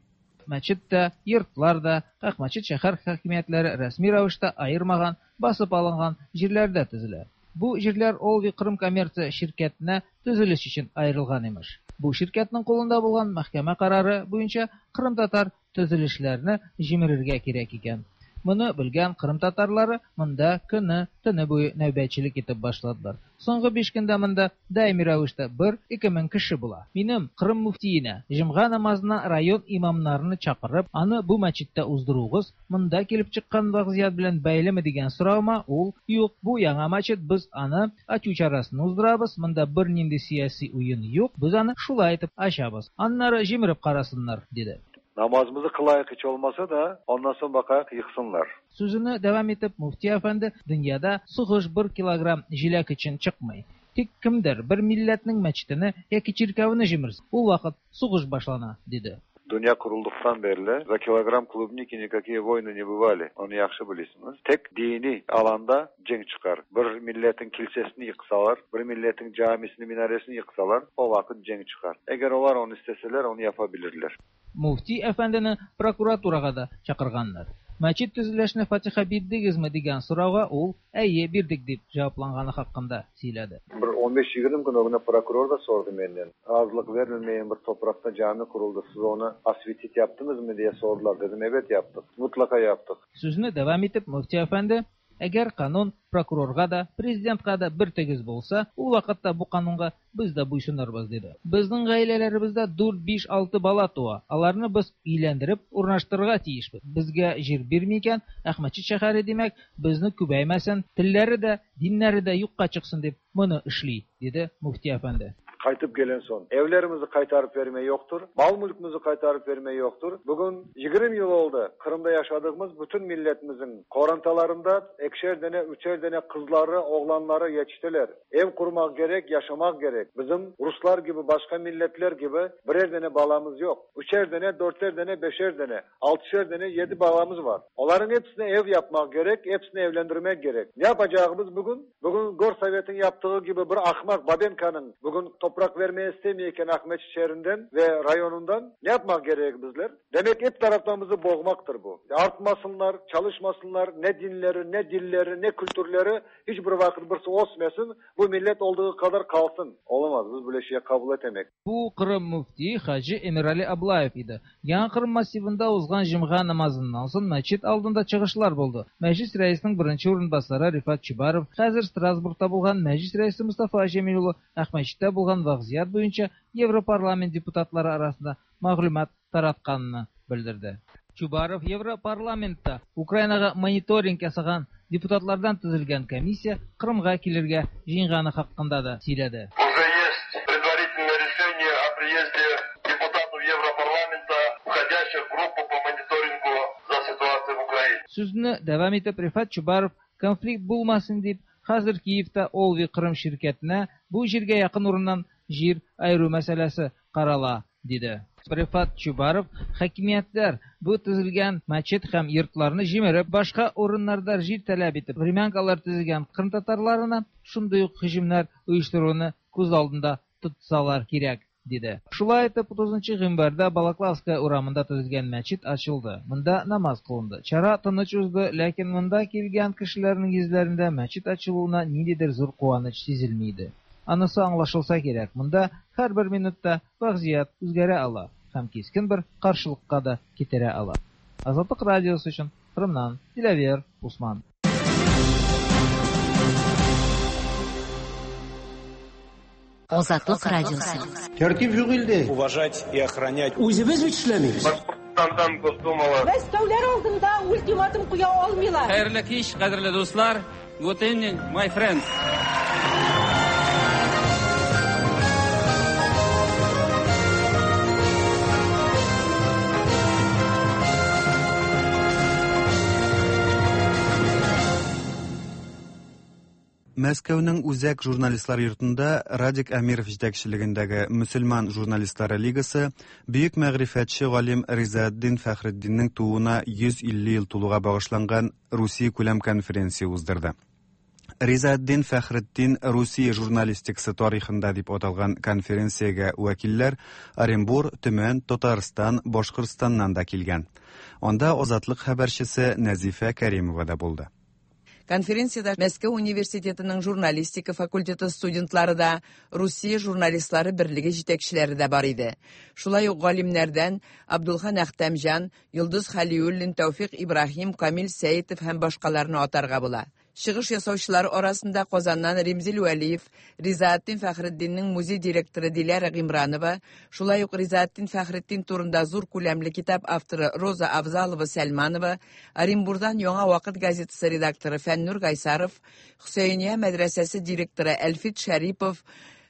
Speaker 18: Мәчет тә, йортлар да, Акмәчет шәһәр хакимиятләре рәсми рәвештә аермаган, басып алынган җирләрдә төзелә. Бу җирләр Олви Кырым коммерция ширкәтенә төзелеш өчен аерылган имеш. Бу ширкәтнең кулында булган мәхкәмә карары буенча Кырым татар төзелешләрне җимерергә кирәк икән. Моны белгән Кырым татарлары монда көне, төне буе нәүбәтчелек итеп башладылар. Соңгы биш көндә монда даими рәвештә бер-ике мең кеше була. Минем Кырым мөфтиенә җомга намазына район имамнарны чакырып, аны бу мәчеттә уздыруыгыз монда килеп чыккан вазгыять белән бәйлеме дигән соравыма ул: "Юк, бу яңа мәчет, без аны ачу чарасын уздырабыз, монда бернинди сияси уен юк, без аны шулай итеп ачабыз. Аннары җимереп карасыннар", диде.
Speaker 19: Namazımızı kılayık hiç olmasa da ondan sonra bakayak yıksınlar.
Speaker 18: Сүзене дәвам итеп мөфти әфәнде дөньяда сугыш бер килограмм җиләк өчен чыкмый. Тик кемдер бер милләтнең мәчетене яки чиркәвене җимерсә, ул вакыт сугыш башлана, диде.
Speaker 19: Dünya kurulduktan beri za kilogram klubniki никакие войны не бывали. Onu yaxşı bilirsiniz. Tek dini alanda cenk çıkar. Bir milletin kilisesini yıksalar, bir milletin camisini, minaresini yıksalar o vakit cenk çıkar. Eğer onlar onu isteseler onu yapabilirler.
Speaker 18: Муфти әфәндене прокуратурага да чакырганнар. Мәчет төзелешне фатиха бирдегезме дигән сорауга ул әйе бирдек дип җавапланганы хакында сөйләде.
Speaker 19: Bir on beş yirmi gün ögüne prokuror da sordu menden. Razılık verilmeyen bir toprakta cami kuruldu. Siz onu asvitit yaptınız mı diye sordular dedim. Evet yaptık. Mutlaka yaptık.
Speaker 18: Сүзне дәвам итеп мөфти әфәнде Әгәр канун прокурорга да, президентка да бер тигез булса, ул вакытта бу канунга без дә буйсынырбыз, диде. Безнең гаиләләребездә дүрт, биш, алты бала туа. Аларны без өйләндереп урнаштырырга тиешбез. Безгә җир бирми икән, Әхмәтчит шәһәре димәк, безне күбәймәсен, телләре дә, диннәре дә юкка чыксын дип моны эшли, диде мөфти әфәнде.
Speaker 19: Kaytıp gelen son. Evlerimizi kaytarıp verme yoktur. Mal mülkümüzü kaytarıp verme yoktur. Bugün yirmi yıl oldu. Kırım'da yaşadığımız bütün milletimizin korantalarında ekşer dene, üçer dene kızları, oğlanları yetiştiler. Ev kurmak gerek, yaşamak gerek. Bizim Ruslar gibi, başka milletler gibi birer dene balamız yok. Üçer dene, dörter dene, beşer dene, altışer dene, yedi balamız var. Onların hepsine ev yapmak gerek, hepsini evlendirmek gerek. Ne yapacağımız bugün? Bugün Gorsovet'in yaptığı gibi bir ahmak Babenka'nın bugün toprak vermeye istemeyken Ahmet şehrinden ve rayonundan ne yapmak gerek bizler? Demek hep taraftan bizi boğmaktır bu. Artmasınlar, çalışmasınlar, ne dinleri, ne dilleri, ne kültürleri hiçbir vakit birisi osmasın. Bu millet olduğu kadar kalsın. Olamaz, biz böyle şeye kabul etemek.
Speaker 18: Bu Kırım müfti Hacı Emirali Ablayev idi. Яңа Кырым массивында узган җомга намазыннан соң мәчет алдында чыгышлар булды. Мәҗлис рәисенең беренче урынбасары Рифат Чубаров, хәзер Страсбургта булган мәҗлис рәисе Мустафа Җәмилулы Әхмәтчиттә булган вазгыять буенча Европарламент депутатлары арасында мәгълүмат таратканын белдерде. Чубаров Европарламентта Украинага мониторинг ясаган депутатлардан төзелгән комиссия Кырымга килергә җыенганы хакында да сөйләде.
Speaker 6: Уже есть предварительное решение о приезде депутатов Европарламента, входящих в группу по мониторингу за ситуацией в Украине.
Speaker 18: Сүзне дәвам итеп Рифат Чубаров конфликт булмасын дип хәзер Киевта Олви Кырым ширкәтенә бу җиргә якын урыннан җир айыру мәсьәләсе карала, диде. Рифат Чубаров хакимиятләр бу төзелгән мәчет һәм йортларны җимереп, башка урыннарда җир таләп итеп, времянкалар төзегән кырым татарларына шундый ук һөҗүмнәр оештыруны күз алдында тотсалар кирәк, диде. Шулай итеп, утызынчы гыйнварда Балаклавская урамында төзелгән мәчет ачылды. Монда намаз кылынды. Чара тыныч узды, ләкин монда килгән кешеләрнең йөзләрендә мәчет ачылуына ниндидер зур куаныч сизелми иде. Анысы аңлашылса кирәк, монда һәрбер минутта вазгыять үзгәрә ала һәм кискен бер каршылыкка да китерә ала. Азатлык радиосы өчен Кырымнан Диләвер Усман.
Speaker 3: Азатлык радиосы.
Speaker 20: Тәртип юк илдә. Уважать и охранять. Үзебез бит эшләмибез.
Speaker 6: Башкортстандан Госдумала.
Speaker 15: Мәскәүләр алдында ультиматум куя алмыйлар.
Speaker 21: Хәерле кич, кадерле дуслар. Good evening, my friends.
Speaker 1: Мәскәүнең үзәк журналистлар йортында Радик Әмиров җитәкчелегендәге Мөселман журналистлары лигасы бөек мәгърифәтче галим Ризаэддин Фәхретдиннең тууына йөз илле ел тулуга багышланган Русия күләм конференция уздырды. Ризаэддин Фәхретдин Русия журналистикасы тарихында дип аталган конференциягә вәкилләр Оренбур, Төмән, Татарстан, Башкортстаннан да килгән. Анда Азатлык хәбәрчесе Нәзифә Кәримова да булды.
Speaker 22: Конференцияда Мәскәү университетының журналистика факультеты студентлары да, Русия журналистлары берлеге җитәкчеләре дә бар иде. Шулай ук галимнәрдән Абдулхан Әхтәмҗан, Йолдыз Хәлиуллин, Тәүфик Ибраһим, Камил Сәетов һәм башкаларны атарга була. Чыгыш ясаучылар арасында Казаннан Римзил Вәлиев, Ризаэддин Фәхретдиннең музей директоры Диләрә Гимранова, шулай ук Ризаэддин Фәхретдин турында зур күләмле китап авторы Роза Авзалова Сәлманова, Оренбурдан Яңа вакыт газетасы редакторы Фәннур Гайсаров, Хөсәйния мәдрәсәсе директоры Әлфит Шәрипов,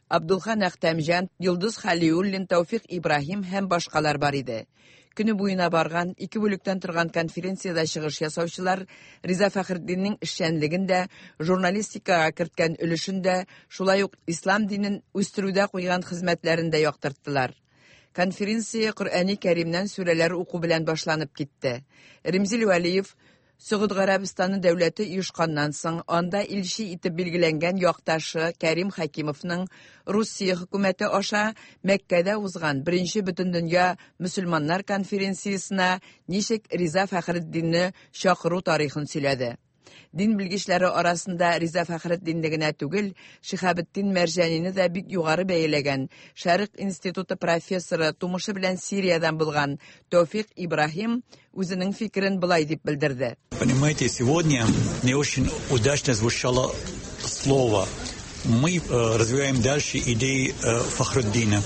Speaker 22: Абдулхан Әхтәмҗан, Йолдыз Хәлиуллин, Тәүфик Ибраһим һәм башкалар бар иде. Көне буена барган ике бүлектән торган конференцияда чыгыш ясаучылар Риза Фәхретдиннең эшчәнлеген дә, журналистикага керткән өлешен дә, шулай ук ислам динен үстерүдә куйган хезмәтләрен дә яктырттылар. Конференция Коръәни Кәримнән сүрәләр уку белән башланып китте. Римзил Вәлиев Сөгуд Гарәбстаны дәүләте оешканнан соң анда илче итеп билгеләнгән якташы Кәрим Хәкимовның Русия хөкүмәте аша Мәккәдә узган беренче бөтендөнья мөселманнар конференциясенә ничек Риза Фәхретдинне чакыру тарихын сөйләде. Дин белгечләре арасында Риза Фәхретдинне генә түгел, Шиһабетдин Мәрҗанине дә бик югары бәяләгән. Шәрык институты профессоры, тумышы белән Сириядән булган Тәүфик Ибраһим үзенең фикерен болай дип белдерде.
Speaker 4: Понимаете, сегодня не очень удачно звучало слово. Мы развиваем дальше идеи Фахруддина.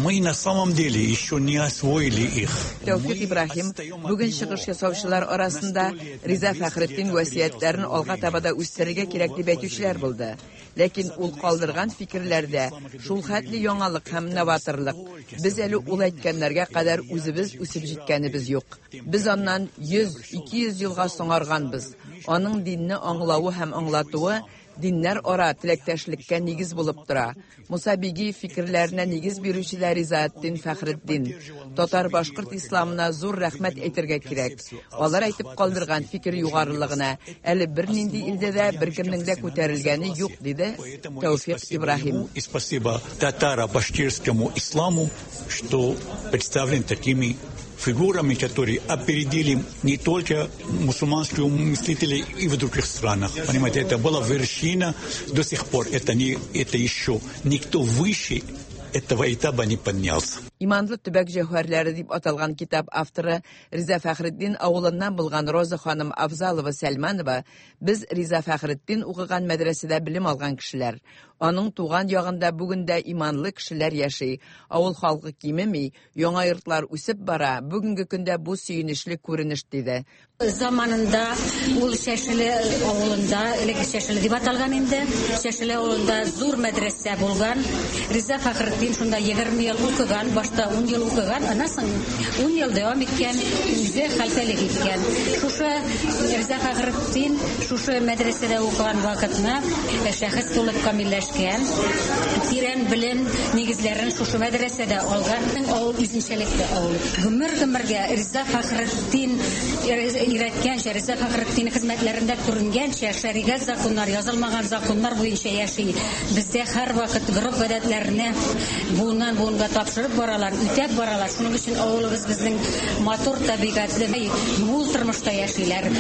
Speaker 4: Мы на самом деле еще не освоили их.
Speaker 22: Тәүфик Ибраһим бүген чыгыш ясаучылар арасында Риза Фәхретдин васыятьләрен алга таба да үстерергә кирәк дип әйтүчеләр булды. Ләкин ул калдырган фикерләрдә шул хәтле яңалык һәм новаторлык. Без әле ул әйткәннәргә кадәр үзебез үсеп җиткәнебез юк. Без аннан йөз, ике йөз елга соңарганбыз. Аның динне аңлавы һәм аңлатуы диннәр ара теләктәшлеккә нигез булып тора. Муса Бигиев фикерләренә нигез бирүче дә Ризаэтдин Фәхретдин. Татар-башкорт исламына зур рәхмәт әйтергә кирәк. Алар әйтеп калдырган фикер югарылыгына әле бернинди илдә дә беркемнең дә күтәрелгәне юк, диде Тәүфик Ибраһим.
Speaker 4: И спасибо татаро-башкирскому исламу, что представлен такими фигурами, которые опередили не только мусульманских мыслителей и в других странах. Понимаете, это была вершина до сих пор. Это, не, это еще никто выше этого этапа не поднялся.
Speaker 22: Иманлы төбәк җәүһәрләре дип аталган китап авторы Риза Фәхретдин авылыннан булган Роза ханым Авзалова Сәлманова, без Риза Фәхретдин укыган мәдрәсәдә белем алган кешеләр. Аның туган ягында бүген дә иманлы кешеләр яши. Авыл халкы кимеми, яңа йортлар үсеп бара. Бүгенге көндә бу сөенечле күренеш, диде.
Speaker 5: Заманында ул Шәшеле авылында, элек Шәшеле дип аталган инде, Шәшеле авылында зур мәдрәсә булган. Риза Фәхретдин шунда егерме ел укыган, башта ун ел укыган, аннан соң ун ел дәвам иткән, үзе хәлфәлек иткән. Шушы Риза Фәхретдин шушы мәдрәсәдә укыган вакытны шәхес булып камилләшкән, тирән белем нигезләрен шушы мәдрәсәдә алган. Авыл үзенчәлекле авыл. Гомер-гомергә Риза Фәхретдин өйрәткәнчә, Риза Фәхретдин хезмәтләрендә күренгәнчә, шәригать законнар, язылмаган законнар буенча яши. Бездә һәрвакыт гореф-гадәтләрне буыннан буынга тапшырып баралар, үтәп баралар. Шуның өчен авылыбыз безнең матур табигатьле, мул тормышта яшиләр.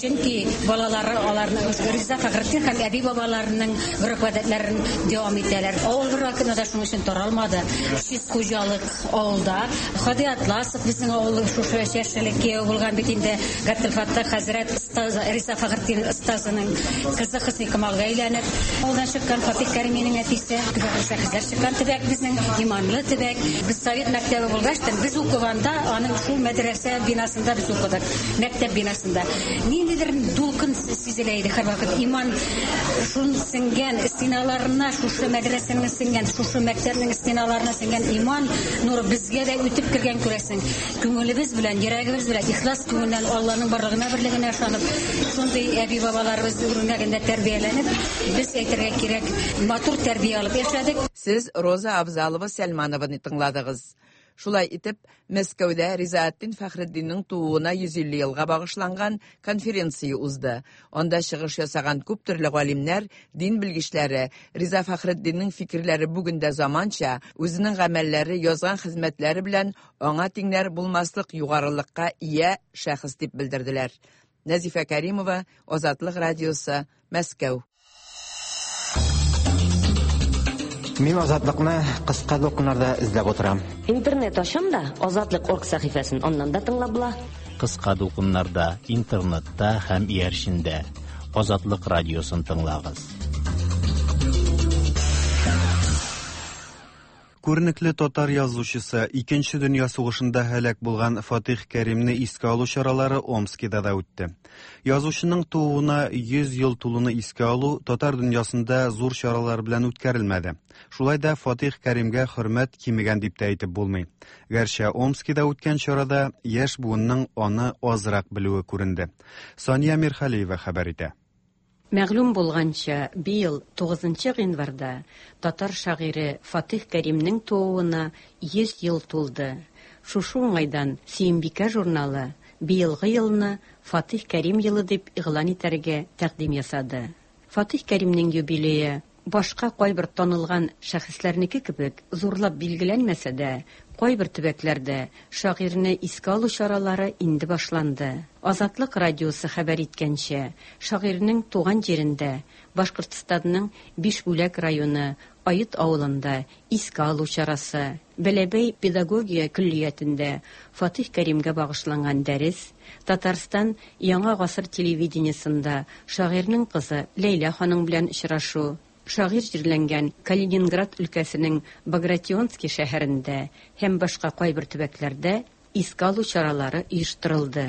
Speaker 5: Чөнки балалары аларны Риза Фәхретдин һәм әби-бабаларының гореф-гадәтләрен дәвам итәләр. Авыл бер вакытта да шуның өчен таралмады. Шиз хуҗалык авылда. Хади Атласов безнең авыл шушы Шәшеле кияү булган бит инде. Габделфаттах хәзрәт остаз Риза Фәхретдин остазының кызы Хөсни Камалга әйләнеп, авылдан чыккан Фатих Кәриминең әтисе, шәхесләр чыккан төбәк безнең иманлы төбәк. Без совет мәктәбе булгач, без укыганда аның шул мәдрәсә бинасында без укыдык, мәктәп бинасында. Ниндидер дулкын сизелә иде һәрвакыт. Иман шун сеңгән стеналарына, шушы мәдрәсәнең сеңгән, шушы мәктәпнең стеналарына сеңгән иман нуры безгә дә үтеп кергән, күрәсең. Күңелебез белән, йөрәгебез белән, ихлас күңелдән Алланың барлыгына, берлегенә ышанып, шундый әби-бабаларыбыз үрнәгендә тәрбияләнеп, без әйтергә кирәк, матур тәрбия алып яшәдек.
Speaker 22: Сез Роза Авзалова Сәлманованы тыңладыгыз. Шулай итеп, Мәскәүдә Ризаэтдин Фәхретдиннең тууына йөз илле елга багышланган конференция узды. Анда чыгыш ясаган күп төрле галимнәр, дин белгечләре Риза Фәхретдиннең фикерләре бүген дә заманча, үзенең гамәлләре, язган хезмәтләре белән аңа тиңнәр булмаслык югарылыкка ия шәхес дип белдерделәр. Нәзифә Кәримова, Азатлык радиосы, Мәскәү.
Speaker 23: Мин Азатлыкны кыска дулкыннарда эзләп утырам.
Speaker 24: Интернет ачам да, Азатлык орг сәхифәсен аннан да тыңлап була.
Speaker 2: Кыска дулкыннарда, интернетта һәм иярчендә Азатлык радиосын тыңлагыз.
Speaker 1: Күренекле татар язучысы, Икенче дөнья сугышында һәлак булган Фатих Кәримне искә алу чаралары Омскида да үтте. Язучының тууына йөз ел тулуны искә алу татар дөньясында зур чаралар белән үткәрелмәде. Шулай да Фатих Кәримгә хөрмәт кимегән дип тә әйтеп булмый. Гәрчә Омскида үткән чарада яшь буынның аны азрак белүе күренде. Сания Мирхалиева хәбәр итә.
Speaker 25: Мәгълүм булганча, быел тугызынчы гыйнварда татар шагыйре Фатих Кәримнең тууына йөз ел тулды. Шушы уңайдан Сөембикә журналы быелгы елны Фатих Кәрим елы дип игълан итәргә тәкъдим ясады. Фатих Кәримнең юбилее башка кайбер танылган шәхесләрнеке кебек зурлап билгеләнмәсә дә, Кайбер төбәкләрдә шагыйрьне искә алу чаралары инде башланды. Азатлык радиосы хәбәр иткәнчә, шагыйрьнең туган җирендә, Башкортстанның Бишбүләк районы Ает авылында искә алу чарасы, Бәләбәй педагогия көллиятендә Фатих Кәримгә багышланган дәрес, Татарстан Яңа гасыр телевидениесында шагыйрьнең кызы Ләйлә ханым белән очрашу, шагыйрь җирләнгән Калининград өлкәсенең Багратионский шәһәрендә һәм башка кайбер төбәкләрдә искә алу чаралары оештырылды.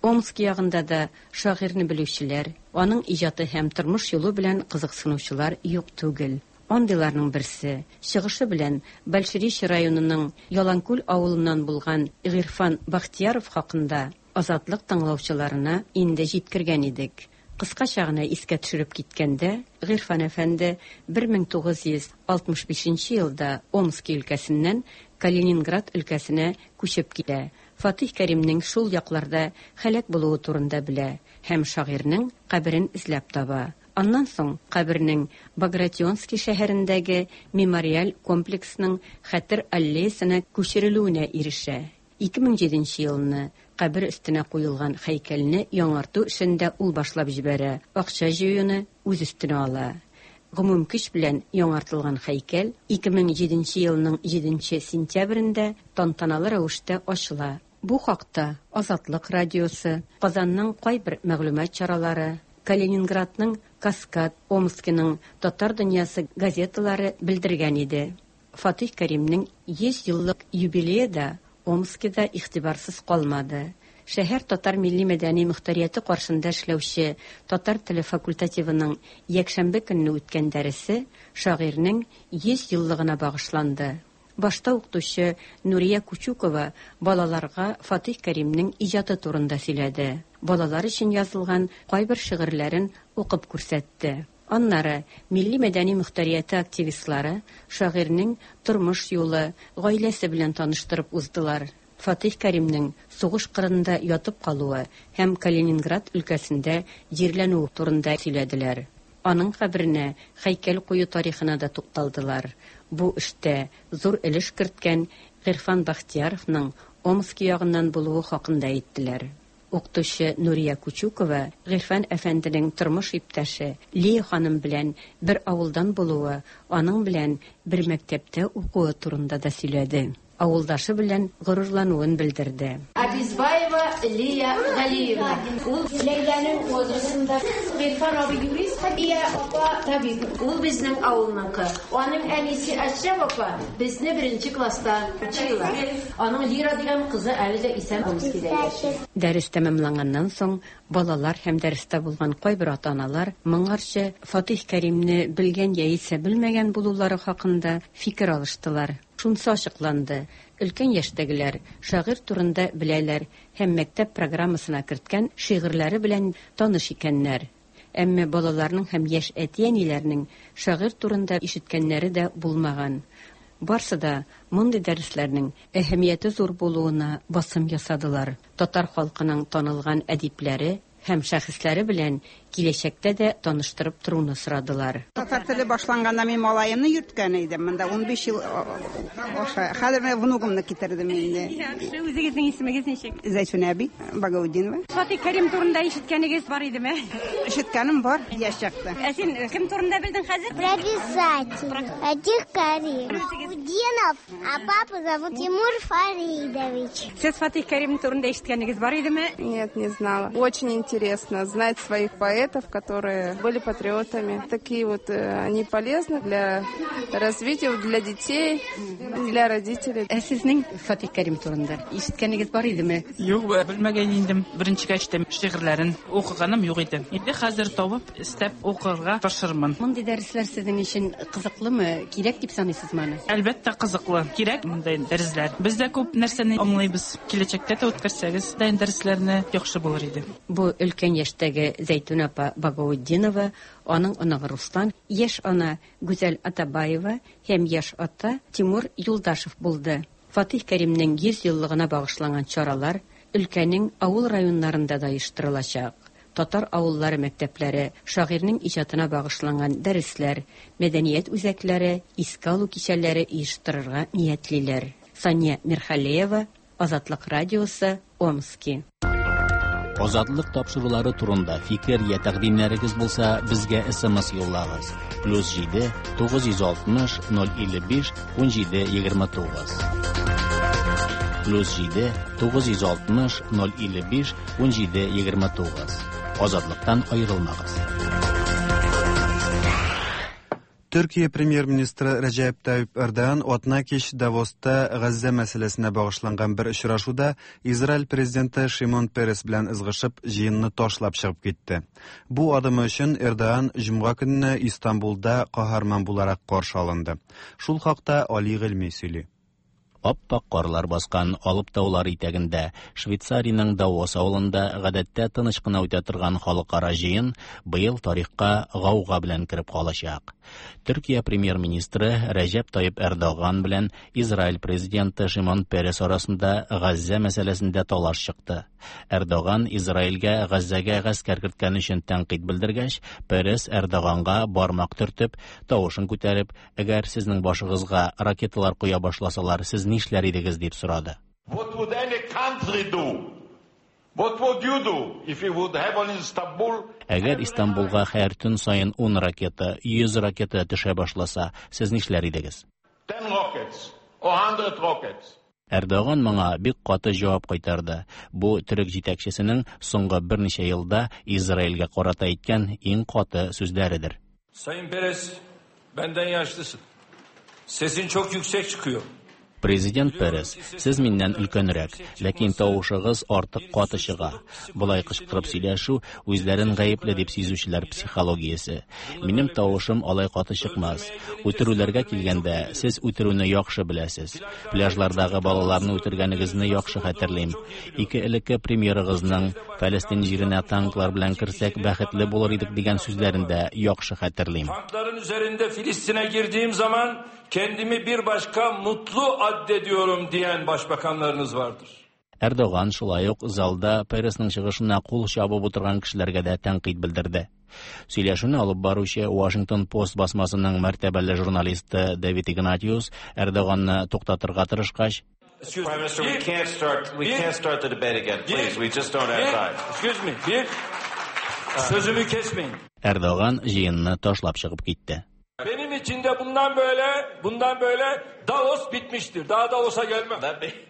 Speaker 25: Омск ягында да шагыйрьне белүчеләр, аның иҗаты һәм тормыш юлы белән кызыксынучылар юк түгел. Андыйларның берсе, чыгышы белән Большеречье районының Яланкүл авылыннан булган Гыйрфан Бахтияров хакында Азатлык тыңлаучыларына инде җиткергән идек. Кыскача гына искә төшереп киткәндә, Гыйрфан әфәнде бер мең тугыз йөз алтмыш бишенче елда Омск өлкәсеннән Калининград өлкәсенә күчеп килә. Фатих Кәримнең шул якларда һәлак булуы турында белә һәм шагыйрьнең каберен эзләп таба. Аннан соң кабернең Багратионский шәһәрендәге мемориаль комплексның хәтер аллеясына күчерелүенә ирешә. Ике мең җиденче елны кабер өстенә куелган һәйкәлне яңарту эшен дә ул башлап җибәрә, акча җыюны үз өстенә ала. Гомум көч белән яңартылган һәйкәл ике мең җиденче елның җиденче сентябрендә тантаналы рәвештә ачыла. Бу хакта Азатлык радиосы, Казанның кайбер мәгълүмат чаралары, Калининградның Каскад, Омскиның Татар дөньясы газеталары белдергән иде. Фатих Кәримнең йөз еллык юбилее да Омскида игътибарсыз калмады. Шәһәр татар милли мәдәни мөхтәрияте каршында эшләүче татар теле факультативының якшәмбе көнне үткән дәресе шагыйрьнең йөз еллыгына багышланды. Башта укытучы Нурия Кучукова балаларга Фатих Кәримнең иҗаты турында сөйләде. Балалар өчен язылган кайбер шигырьләрен укып күрсәтте. Аннары милли мәдәни мөхтәрияте активистлары шагыйрьнең тормыш юлы, гаиләсе белән таныштырып уздылар. Фатих Кәримнең сугыш кырында ятып калуы һәм Калининград өлкәсендә җирләнүе турында сөйләделәр. Аның каберенә һәйкәл кую тарихына да тукталдылар. Бу эштә зур өлеш керткән Гыйрфан Бахтияровның Омск ягыннан булуы хакында әйттеләр. Укытучы Нурия Кучукова Гыйрфан әфәнденең тормыш иптәше Лия ханым белән бер авылдан булуы, аның белән бер мәктәптә укуы турында да сөйләде. Авылдашы белән горурлануын белдерде.
Speaker 7: Абизбаева Лия Галиевна. Ул Ләйләнең возрастында. Гыйрфан абый юрист, Лия апа табиб. Ул безнең авылныкы. Аның әнисе Әшрәф апа безне беренче класста учила. Аның Лира дигән кызы әле дә исән Омскида яши.
Speaker 25: Дәрес тәмамланганнан соң балалар һәм дәрестә булган кайбер ата-аналар моңарчы Фатих Кәримне белгән яисә белмәгән булулары хакында фикер алыштылар. Шунысы ачыкланды: өлкән яшьтәгеләр шагыйрь турында беләләр һәм мәктәп программасына керткән шигырьләре белән таныш икәннәр. Әмма балаларның һәм яшь әти-әниләрнең шагыйрь турында ишеткәннәре дә булмаган. Барсы да мондый дәресләрнең әһәмияте зур булуына басым ясадылар. Татар халкының танылган әдипләре һәм шәхесләре белән киләчәктә дә таныштырып торуны сорадылар.
Speaker 9: Татар теле башланганда мин малаемны йөрткән идем. Монда ун биш ел аша. Хәзер мин внугымны китердем инде.
Speaker 10: Яхшы, үзегезнең исемегез ничек?
Speaker 9: Зәйтүнә әби Багаудинова.
Speaker 10: Фатих Кәрим турында ишеткәнегез бар идеме?
Speaker 9: Ишеткәнем бар, яшь чакта.
Speaker 10: Ә син кем турында белдең хәзер?
Speaker 11: Про писателя. Фатих Кәрим. Удинов, а папу зовут Тимур Фаридович.
Speaker 10: Сез Фатих Кәрим турында ишеткәнегез бар идеме?
Speaker 12: Нет, не знала. Очень интересно знать своих поэтов, которые были патриотами. Такие вот они полезны для развития, для детей, для родителей.
Speaker 25: Ә сезнең Фатих Кәрим турында ишеткәнегез бар идеме?
Speaker 26: Юк, белмәгән идем. Беренче кәчтем шигырьләрен укыганым юк иде. Инде хәзер табып, эстәп укырга тырышырмын.
Speaker 25: Мондый дәресләр сезнең өчен кызыклымы? Кирәк дип саныйсызмы аны?
Speaker 26: Әлбәттә, кызыклы. Кирәк мондай дәресләр. Без дә күп нәрсәне аңлыйбыз. Киләчәктә дә үткәрсәгез, дәресләрне яхшы булыр иде.
Speaker 25: Бу өлкән яшьтәге Зәйтүнә апа Багаудинова, аның оныгы Руслан, яшь ана Гүзәл Атабаева һәм яшь ата Тимур Юлдашев булды. Фатих Кәримнең йөз еллыгына багышланган чаралар өлкәнең авыл районнарында да оештырылачак. Татар авыллары мәктәпләре, шагыйрьнең иҗатына багышланган дәресләр, мәдәният үзәкләре, искә алу кичәләре оештырырга ниятлиләр. Сания Мирхалеева, Азатлык радиосы, Омски.
Speaker 2: Азатлык тапшырулары турында фикер я тәкъдимнәрегез булса, безгә С М С юллагыз. Плюс җиде тугыз йөз алтмыш ноль илле биш унҗиде егерме тугыз. Плюс җиде тугыз йөз алтмыш ноль илле биш унҗиде егерме тугыз. Азатлыктан аерылмагыз.
Speaker 1: Төркия премьер-министры Рәҗәп Тайип Эрдоган атна кич Давоста Газзә мәсьәләсенә багышланган бер очрашуда Израиль президенты Шимон Перес белән ызгышып, җыенны ташлап чыгып китте. Бу адымы өчен Эрдоган җомга көнне Истанбулда каһарман буларак каршы алынды. Шул хакта Али Гыйльми сөйли.
Speaker 2: Ап-ак карлар баскан Алып таулар итәгендә, Швейцариянең Давос авылында гадәттә тыныч кына үтә торган халыкара җыен быел тарихка гауга белән кереп калачак. Төркия премьер-министры Рәҗәп Тайип Эрдоган белән Израиль президенты Шимон Перес арасында Газзә мәсьәләсендә талаш чыкты. Эрдоган Израильгә Газзәгә гаскәр керткән өчен тәнкыйть белдергәч, Перес Эрдоганга бармак төртеп, тавышын күтәреп, "Әгәр сезнең башыгызга ракеталар коя башласалар, сез нишләр идегез?" дип сорады.
Speaker 8: What would any country do? What would you do if you would have on Istanbul?
Speaker 2: Әгәр Истанбулга һәр төн саен ун ракета, йөз ракета төшә башласа, сез нишләр идегез?
Speaker 8: ten rockets or one hundred rockets?
Speaker 2: Эрдоган моңа бик каты җавап кайтарды. Бу төрек җитәкчесенең соңгы берничә елда Израильгә карата әйткән иң каты сүзләредер.
Speaker 21: Sayın Peres, benden yaşlısın. Sesin çok yüksek çıkıyor.
Speaker 2: Президент Перес, сез миннән өлкәнрәк, ләкин тавышыгыз артык каты чыга. Болай кычкырып сөйләшү үзләрен гаепле дип сизүчеләр психологиясе. Минем тавышым алай каты чыкмас. Үтерүләргә килгәндә, сез үтерүне яхшы беләсез. Пляжлардагы балаларны үтергәнегезне яхшы хәтерлим. Ике элекке премьерыгызның Фәлестин җиренә танклар белән керсәк бәхетле булыр идек дигән сүзләрен дә яхшы хәтерлим.
Speaker 21: Tankların üzerinde Filistin'e girdiğim zaman kendimi bir başka mutlu addediyorum diyen başbakanlarınız vardır.
Speaker 2: Эрдоган шулай ук залда Пересның чыгышына кул чабып утырган кешеләргә дә тәнкыйть белдерде. Сөйләшүне алып баручы Washington Post басмасының мәртәбәле журналисты Дэвид Игнатиус Эрдоганны туктатырга тырышкач,
Speaker 13: Prime Minister, we can't start. We can't start the debate again, please. We just don't have time.
Speaker 21: Excuse me. Bir, sözümü kesmeyin.
Speaker 2: Эрдоган җыенны ташлап чыгып китте.
Speaker 21: Benim için de bundan böyle, bundan böyle Davos bitmiştir. Daha Davos'a gelmem.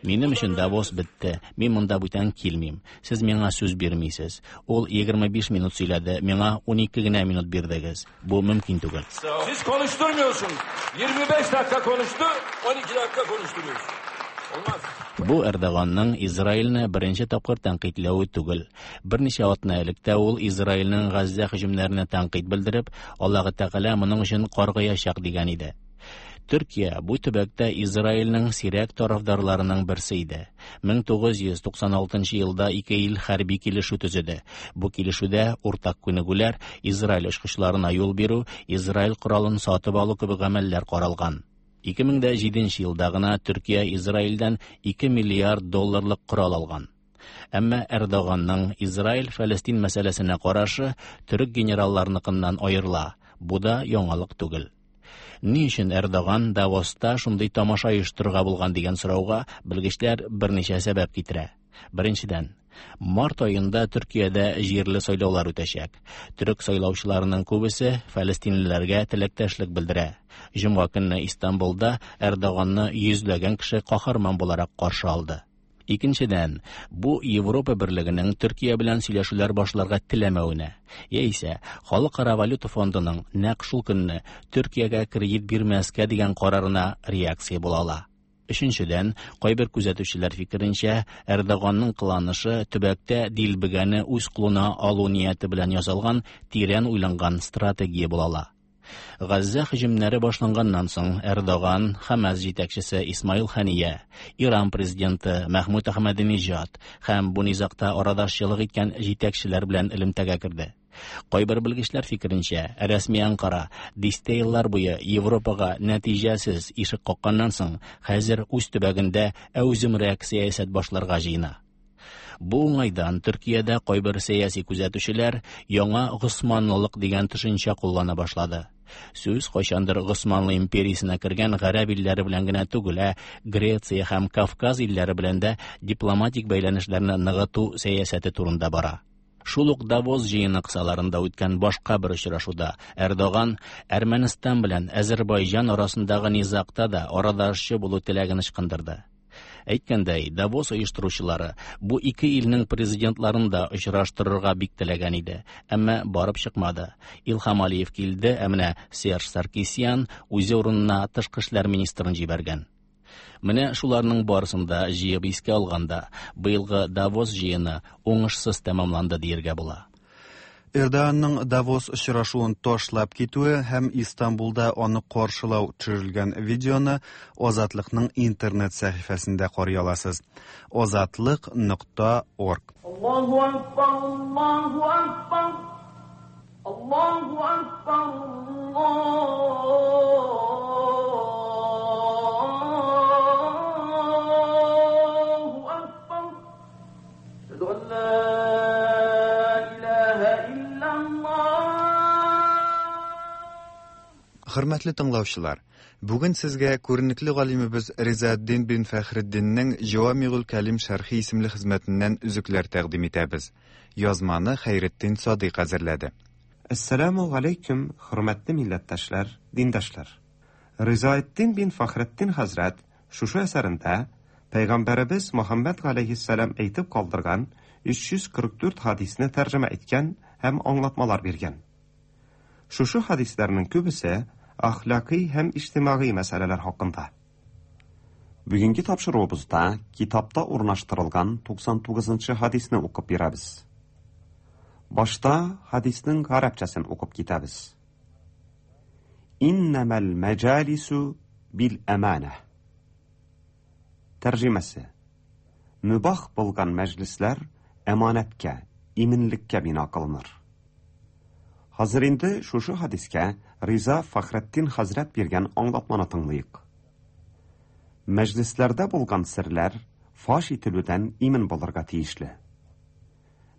Speaker 2: Минем өчен Давос бетте. Мин монда бүтән килмим. Сез миңа сүз бирмисез. Ул егерме биш минут сөйләде, миңа унике генә минут бирдегез. Бу мөмкин түгел.
Speaker 21: Siz konuşturmuyorsunuz. yirmi beş dakika konuştu, on iki dakika konuşturuyorsunuz. Olmaz.
Speaker 2: Бу Эрдоганның Израильне беренче тапкыр тәнкыйтьләве түгел. Берничә атна элек тә ул Израильнең Газзә һөҗүмнәренә тәнкыйть белдереп, Аллаһы Тәгалә моның өчен каргаячак дигән иде. Төркия бу төбәктә Израильнең сирәк тарафдарларының берсе иде. мең тугыз йөз туксан алтынчы елда ике ил хәрби килешү төзеде. Бу килешүдә уртак күнегүләр, Израиль очкычларына юл бирү, Израиль коралын сатып алу кебек гамәлләр каралган. ике мең җиденче елда гына Төркия Израильдән ике миллиард долларлык корал алган. Әмма Эрдоганның Израиль-Фәлестин мәсьәләсенә карашы төрек генералларыныкыннан аерыла. Бу да яңалык түгел. Ни өчен Эрдоган Давоста шундый тамаша оештырырга булган дигән сорауга белгечләр берничә сәбәп китерә. Беренчедән, март аенда Төркиядә җирле сайлаулар үтәчәк. Төрек сайлаучыларының күбесе фәлестинлеләргә теләктәшлек белдерә. Җомга көнне Истанбулда Эрдоганны йөзләгән кеше каһарман буларак каршы алды. Икенчедән, бу Европа берлегенең Төркия белән сөйләшүләр башларга теләмәвенә, яисә Халыкара валюта фондының нәкъ шул көнне Төркиягә кредит бирмәскә дигән карарына реакция була ала. Өченчедән, кайбер күзәтүчеләр фикеренчә, Эрдоганның кыланышы төбәктә дилбегәне үз кулына алу нияте белән ясалган тирән уйланган стратегия була ала. Газзә һөҗүмнәре башланганнан соң Эрдоган Хамас җитәкчесе Исмаил Хания, Иран президенты Мәхмүд Ахмадинежад һәм бу низагта арадашчылык иткән җитәкчеләр белән элемтәгә керде. Кайбер белгечләр фикеренчә, рәсми Анкара дистә еллар буе Европага нәтиҗәсез ишек какканнан соң, хәзер үз төбәгендә әүземрәк сәясәт башларга җыена. Бу уңайдан Төркиядә кайбер сәяси күзәтүчеләр яңа госманлылык дигән төшенчә куллана башлады. Сүз кайчандыр Госманлы империясенә кергән гарәп илләре белән генә түгел, ә Греция һәм Кавказ илләре белән дә дипломатик бәйләнешләрне ныгыту сәясәте турында бара. Шул ук Давос җыены кысаларында үткән башка бер очрашуда Эрдоган Әрмәнстан белән Әзербайҗан арасындагы низагта да арадашчы булу теләген ычкындырды. Әйткәндәй, Давос оештыручылары бу ике илнең президентларын да очраштырырга бик теләгән иде, әмма барып чыкмады. Илһам Алиев килде, ә менә Серж Саркисян үзе урынына тышкы эшләр министрын җибәргән. Менә шуларның барысын да җыеп искә алганда, быелгы Давос җыены уңышсыз тәмамланды дияргә була.
Speaker 1: Эрдоганның Давос очрашуын ташлап китүе һәм Истанбулда аны каршылау төшерелгән видеоны Азатлыкның интернет сәхифәсендә карый аласыз. Азатлык нокта орг.
Speaker 3: Аллаһу акбар, Аллаһу акбар, Аллаһу акбар, Аллаһу акбар. Әшһәду ан ла илаһа иллаллаһ.
Speaker 1: Хөрмәтле тыңлаучылар, бүген сезгә күренекле галимебез Ризаэддин бин Фәхретдиннең Җавамигул Кәлим шәрхи исемле хезмәтеннән өзекләр тәкъдим итәбез. Язманы Хәйретдин Садыйк әзерләде.
Speaker 14: Әссәламу алейкум, хөрмәтле милләттәшләр, диндашлар. Ризаэддин бин Фәхретдин хәзрәт шушы әсәрендә Пәйгамбәребез Мөхәммәд галәйһиссәлам әйтеп калдырган өч йөз кырык дүрт хадисне тәрҗемә иткән һәм аңлатмалар биргән. Шушы хадисләрнең күбесе әхлакый һәм иҗтимагый мәсьәләләр хакында.
Speaker 16: Бүгенге тапшыруыбызда китапта урнаштырылган туксан тугызынчы хадисне укып бирәбез. Башта хадиснең гарәпчәсен укып китәбез. Иннәмәл мәҗалису бил әманә. Тәрҗемәсе: Мөбах булган мәҗлесләр әманәткә, иминлеккә бина кылыныр. Хәзер инде шушы хадискә Риза Фәхретдин хәзрәт биргән аңлатманы тыңлыйк. Мәҗлесләрдә булган серләр фаш ителүдән имин булырга тиешле.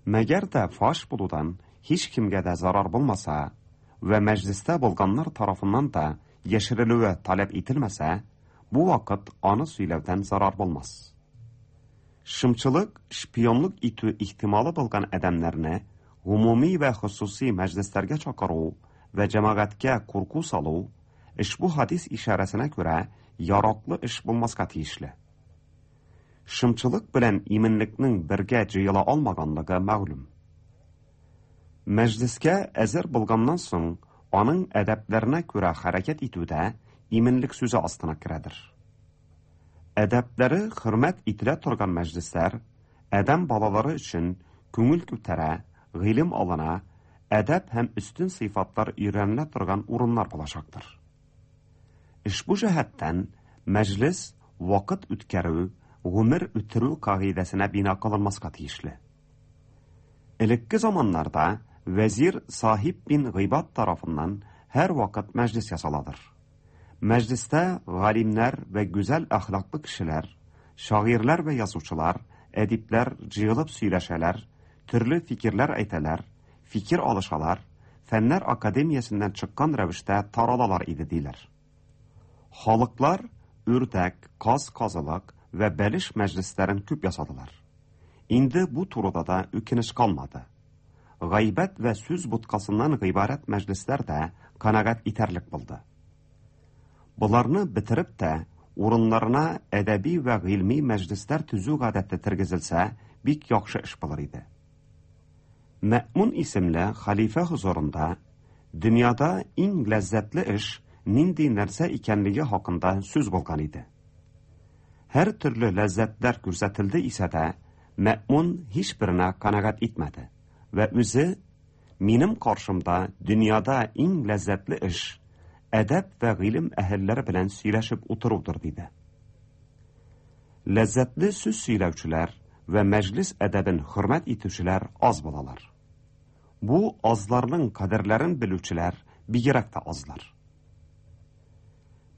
Speaker 16: Мәгәр дә фаш булудан һич кемгә дә зарар булмаса вә мәҗлестә булганнар тарафыннан да яшерелүе таләп ителмәсә, бу вакыт аны сөйләүдән зарар булмас. Шымчылык, шпионлык итү ихтималы булган адәмнәрне гомуми вә хосуси мәҗлесләргә чакыру вә җәмәгатькә курку салу ошбу хадис ишарәсенә күрә яраклы эш булмаска тиешле. Шымчылык белән иминлекнең бергә җыела алмаганлыгы мәгълүм. Мәҗлескә әзер булганнан соң аның әдәпләренә күрә хәрәкәт итү дә иминлек сүзе астына керәдер. Әдәпләре хөрмәт ителә торган мәҗлесләр адәм балалары өчен күңел күтәрә, гыйлем алына, әдәп һәм өстен сыйфатлар өйрәнелә торган урыннар булачактыр. Ошбу җәһәттән мәҗлес вакыт үткәрү, гомер үтерү кагыйдәсенә бина кылынмаска тиешле. Элекке заманнарда вәзир Сахиб бин Гыйбад тарафыннан һәр вакыт мәҗлес ясаладыр. Мәҗлестә галимнәр вә гүзәл әхлаклы кешеләр, шагыйрьләр вә язучылар, әдипләр җыелып сөйләшәләр, төрле фикерләр әйтәләр, фикер алышалар, фәннәр академиясеннән чыккан рәвештә таралалар иде диләр. Халыклар үрдәк, каз казылык вә бәлеш мәҗлесләрен күп ясадылар. Инде бу турыда да үкенеч калмады. Гайбәт вә сүз буткасыннан гыйбарәт мәҗлесләр дә канәгать итәрлек булды. Боларны бетереп тә урыннарына әдәби вә гыйльми мәҗлесләр төзү гадәте тергезелсә, бик яхшы эш булыр иде. Мә'мун исемле хәлифә хозурында дөньяда иң ләззәтле эш нинди нәрсә икәнлеге хакында сүз булган иде. Һәр төрле ләззәтләр күрсәтелде исә дә, Мә'мун һичберенә канәгать итмәде вә үзе минем каршымда дөньяда иң ләззәтле эш әдәп вә гыйлем әһелләре белән сөйләшеп утырудыр диде. Ләззәтле сүз сөйләүчеләр вә мәҗлес әдәбен хөрмәт итүчеләр аз булалар. Бу азларның кадерләрен белүчеләр бигрәк тә азлар.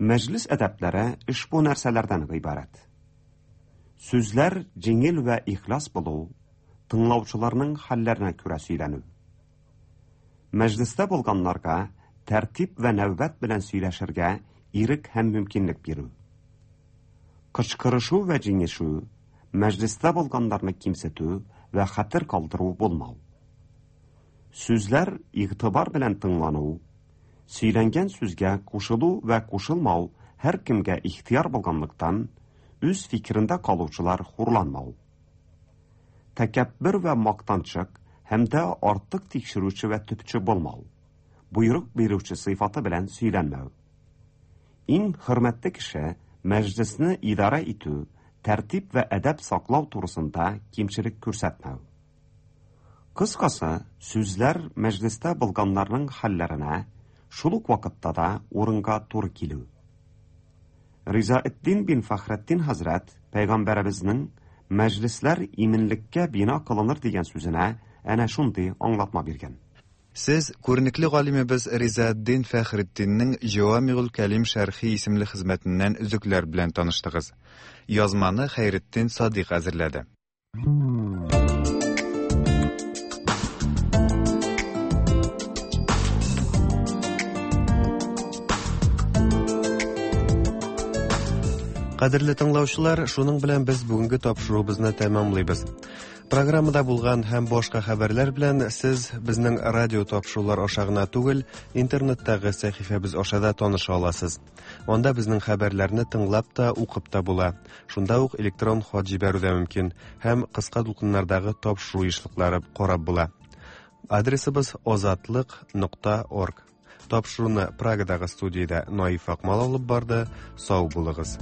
Speaker 16: Мәҗлес әдәпләре ошбу нәрсәләрдән гыйбарәт. Сүзләр җиңел вә ихлас булу, Тыңлаучыларның хәлләренә күрә сөйләнү. Мәҗлестә булганнарга тәртип вә нәүбәт белән сөйләшергә ирек һәм мөмкинлек бирү. Кычкырышу вә җиңешү, мәҗлестә булганнарны кимсетү вә хәтер калдыру булмау. Сүзләр игътибар белән тыңлану, сөйләнгән сүзгә кушылу вә кушылмау һәркемгә ихтыяр булганлыктан, үз фикерендә калучылар хурланмау. Тәкәббер вә мактанчык һәм дә артык тикшерүче вә төпче булмау. Буйрык бирүче сыйфаты белән сөйләнмәү. Иң хөрмәтле кеше мәҗлесне идарә итү, тәртип вә әдәп саклау турысында кимчелек күрсәтмәү. Кыскасы, сүзләр мәҗлестә булганнарның хәлләренә, шул ук вакытта да урынга туры килү. Ризаэддин бин Фәхретдин хәзрәт пәйгамбәребезнең мәҗлесләр иминлеккә бина кылыныр дигән сүзенә әнә шундый аңлатма биргән.
Speaker 1: Сез күренекле галимебез Ризаэддин Фәхретдиннең Җавамигул Кәлим шәрхи исемле хезмәтеннән өзекләр белән таныштыгыз. Язманы Хәйретдин Садыйк әзерләде.
Speaker 6: Кадерле тыңлаучылар, шуның белән без бүгенге тапшыруыбызны тәмамлыйбыз. Программада булган һәм башка хәбәрләр белән сез безнең радио тапшырулар аша гына түгел, интернеттагы сәхифәбез аша да таныша аласыз. Анда безнең хәбәрләрне тыңлап та, укып та була. Шунда ук электрон хат җибәрү дә мөмкин һәм кыска дулкыннардагы тапшыру ешлыклары карап була. Адресыбыз озатлык нокта орг. Тапшыруны Прагадагы студиядә Наиф Акмал алып барды. Сау булыгыз.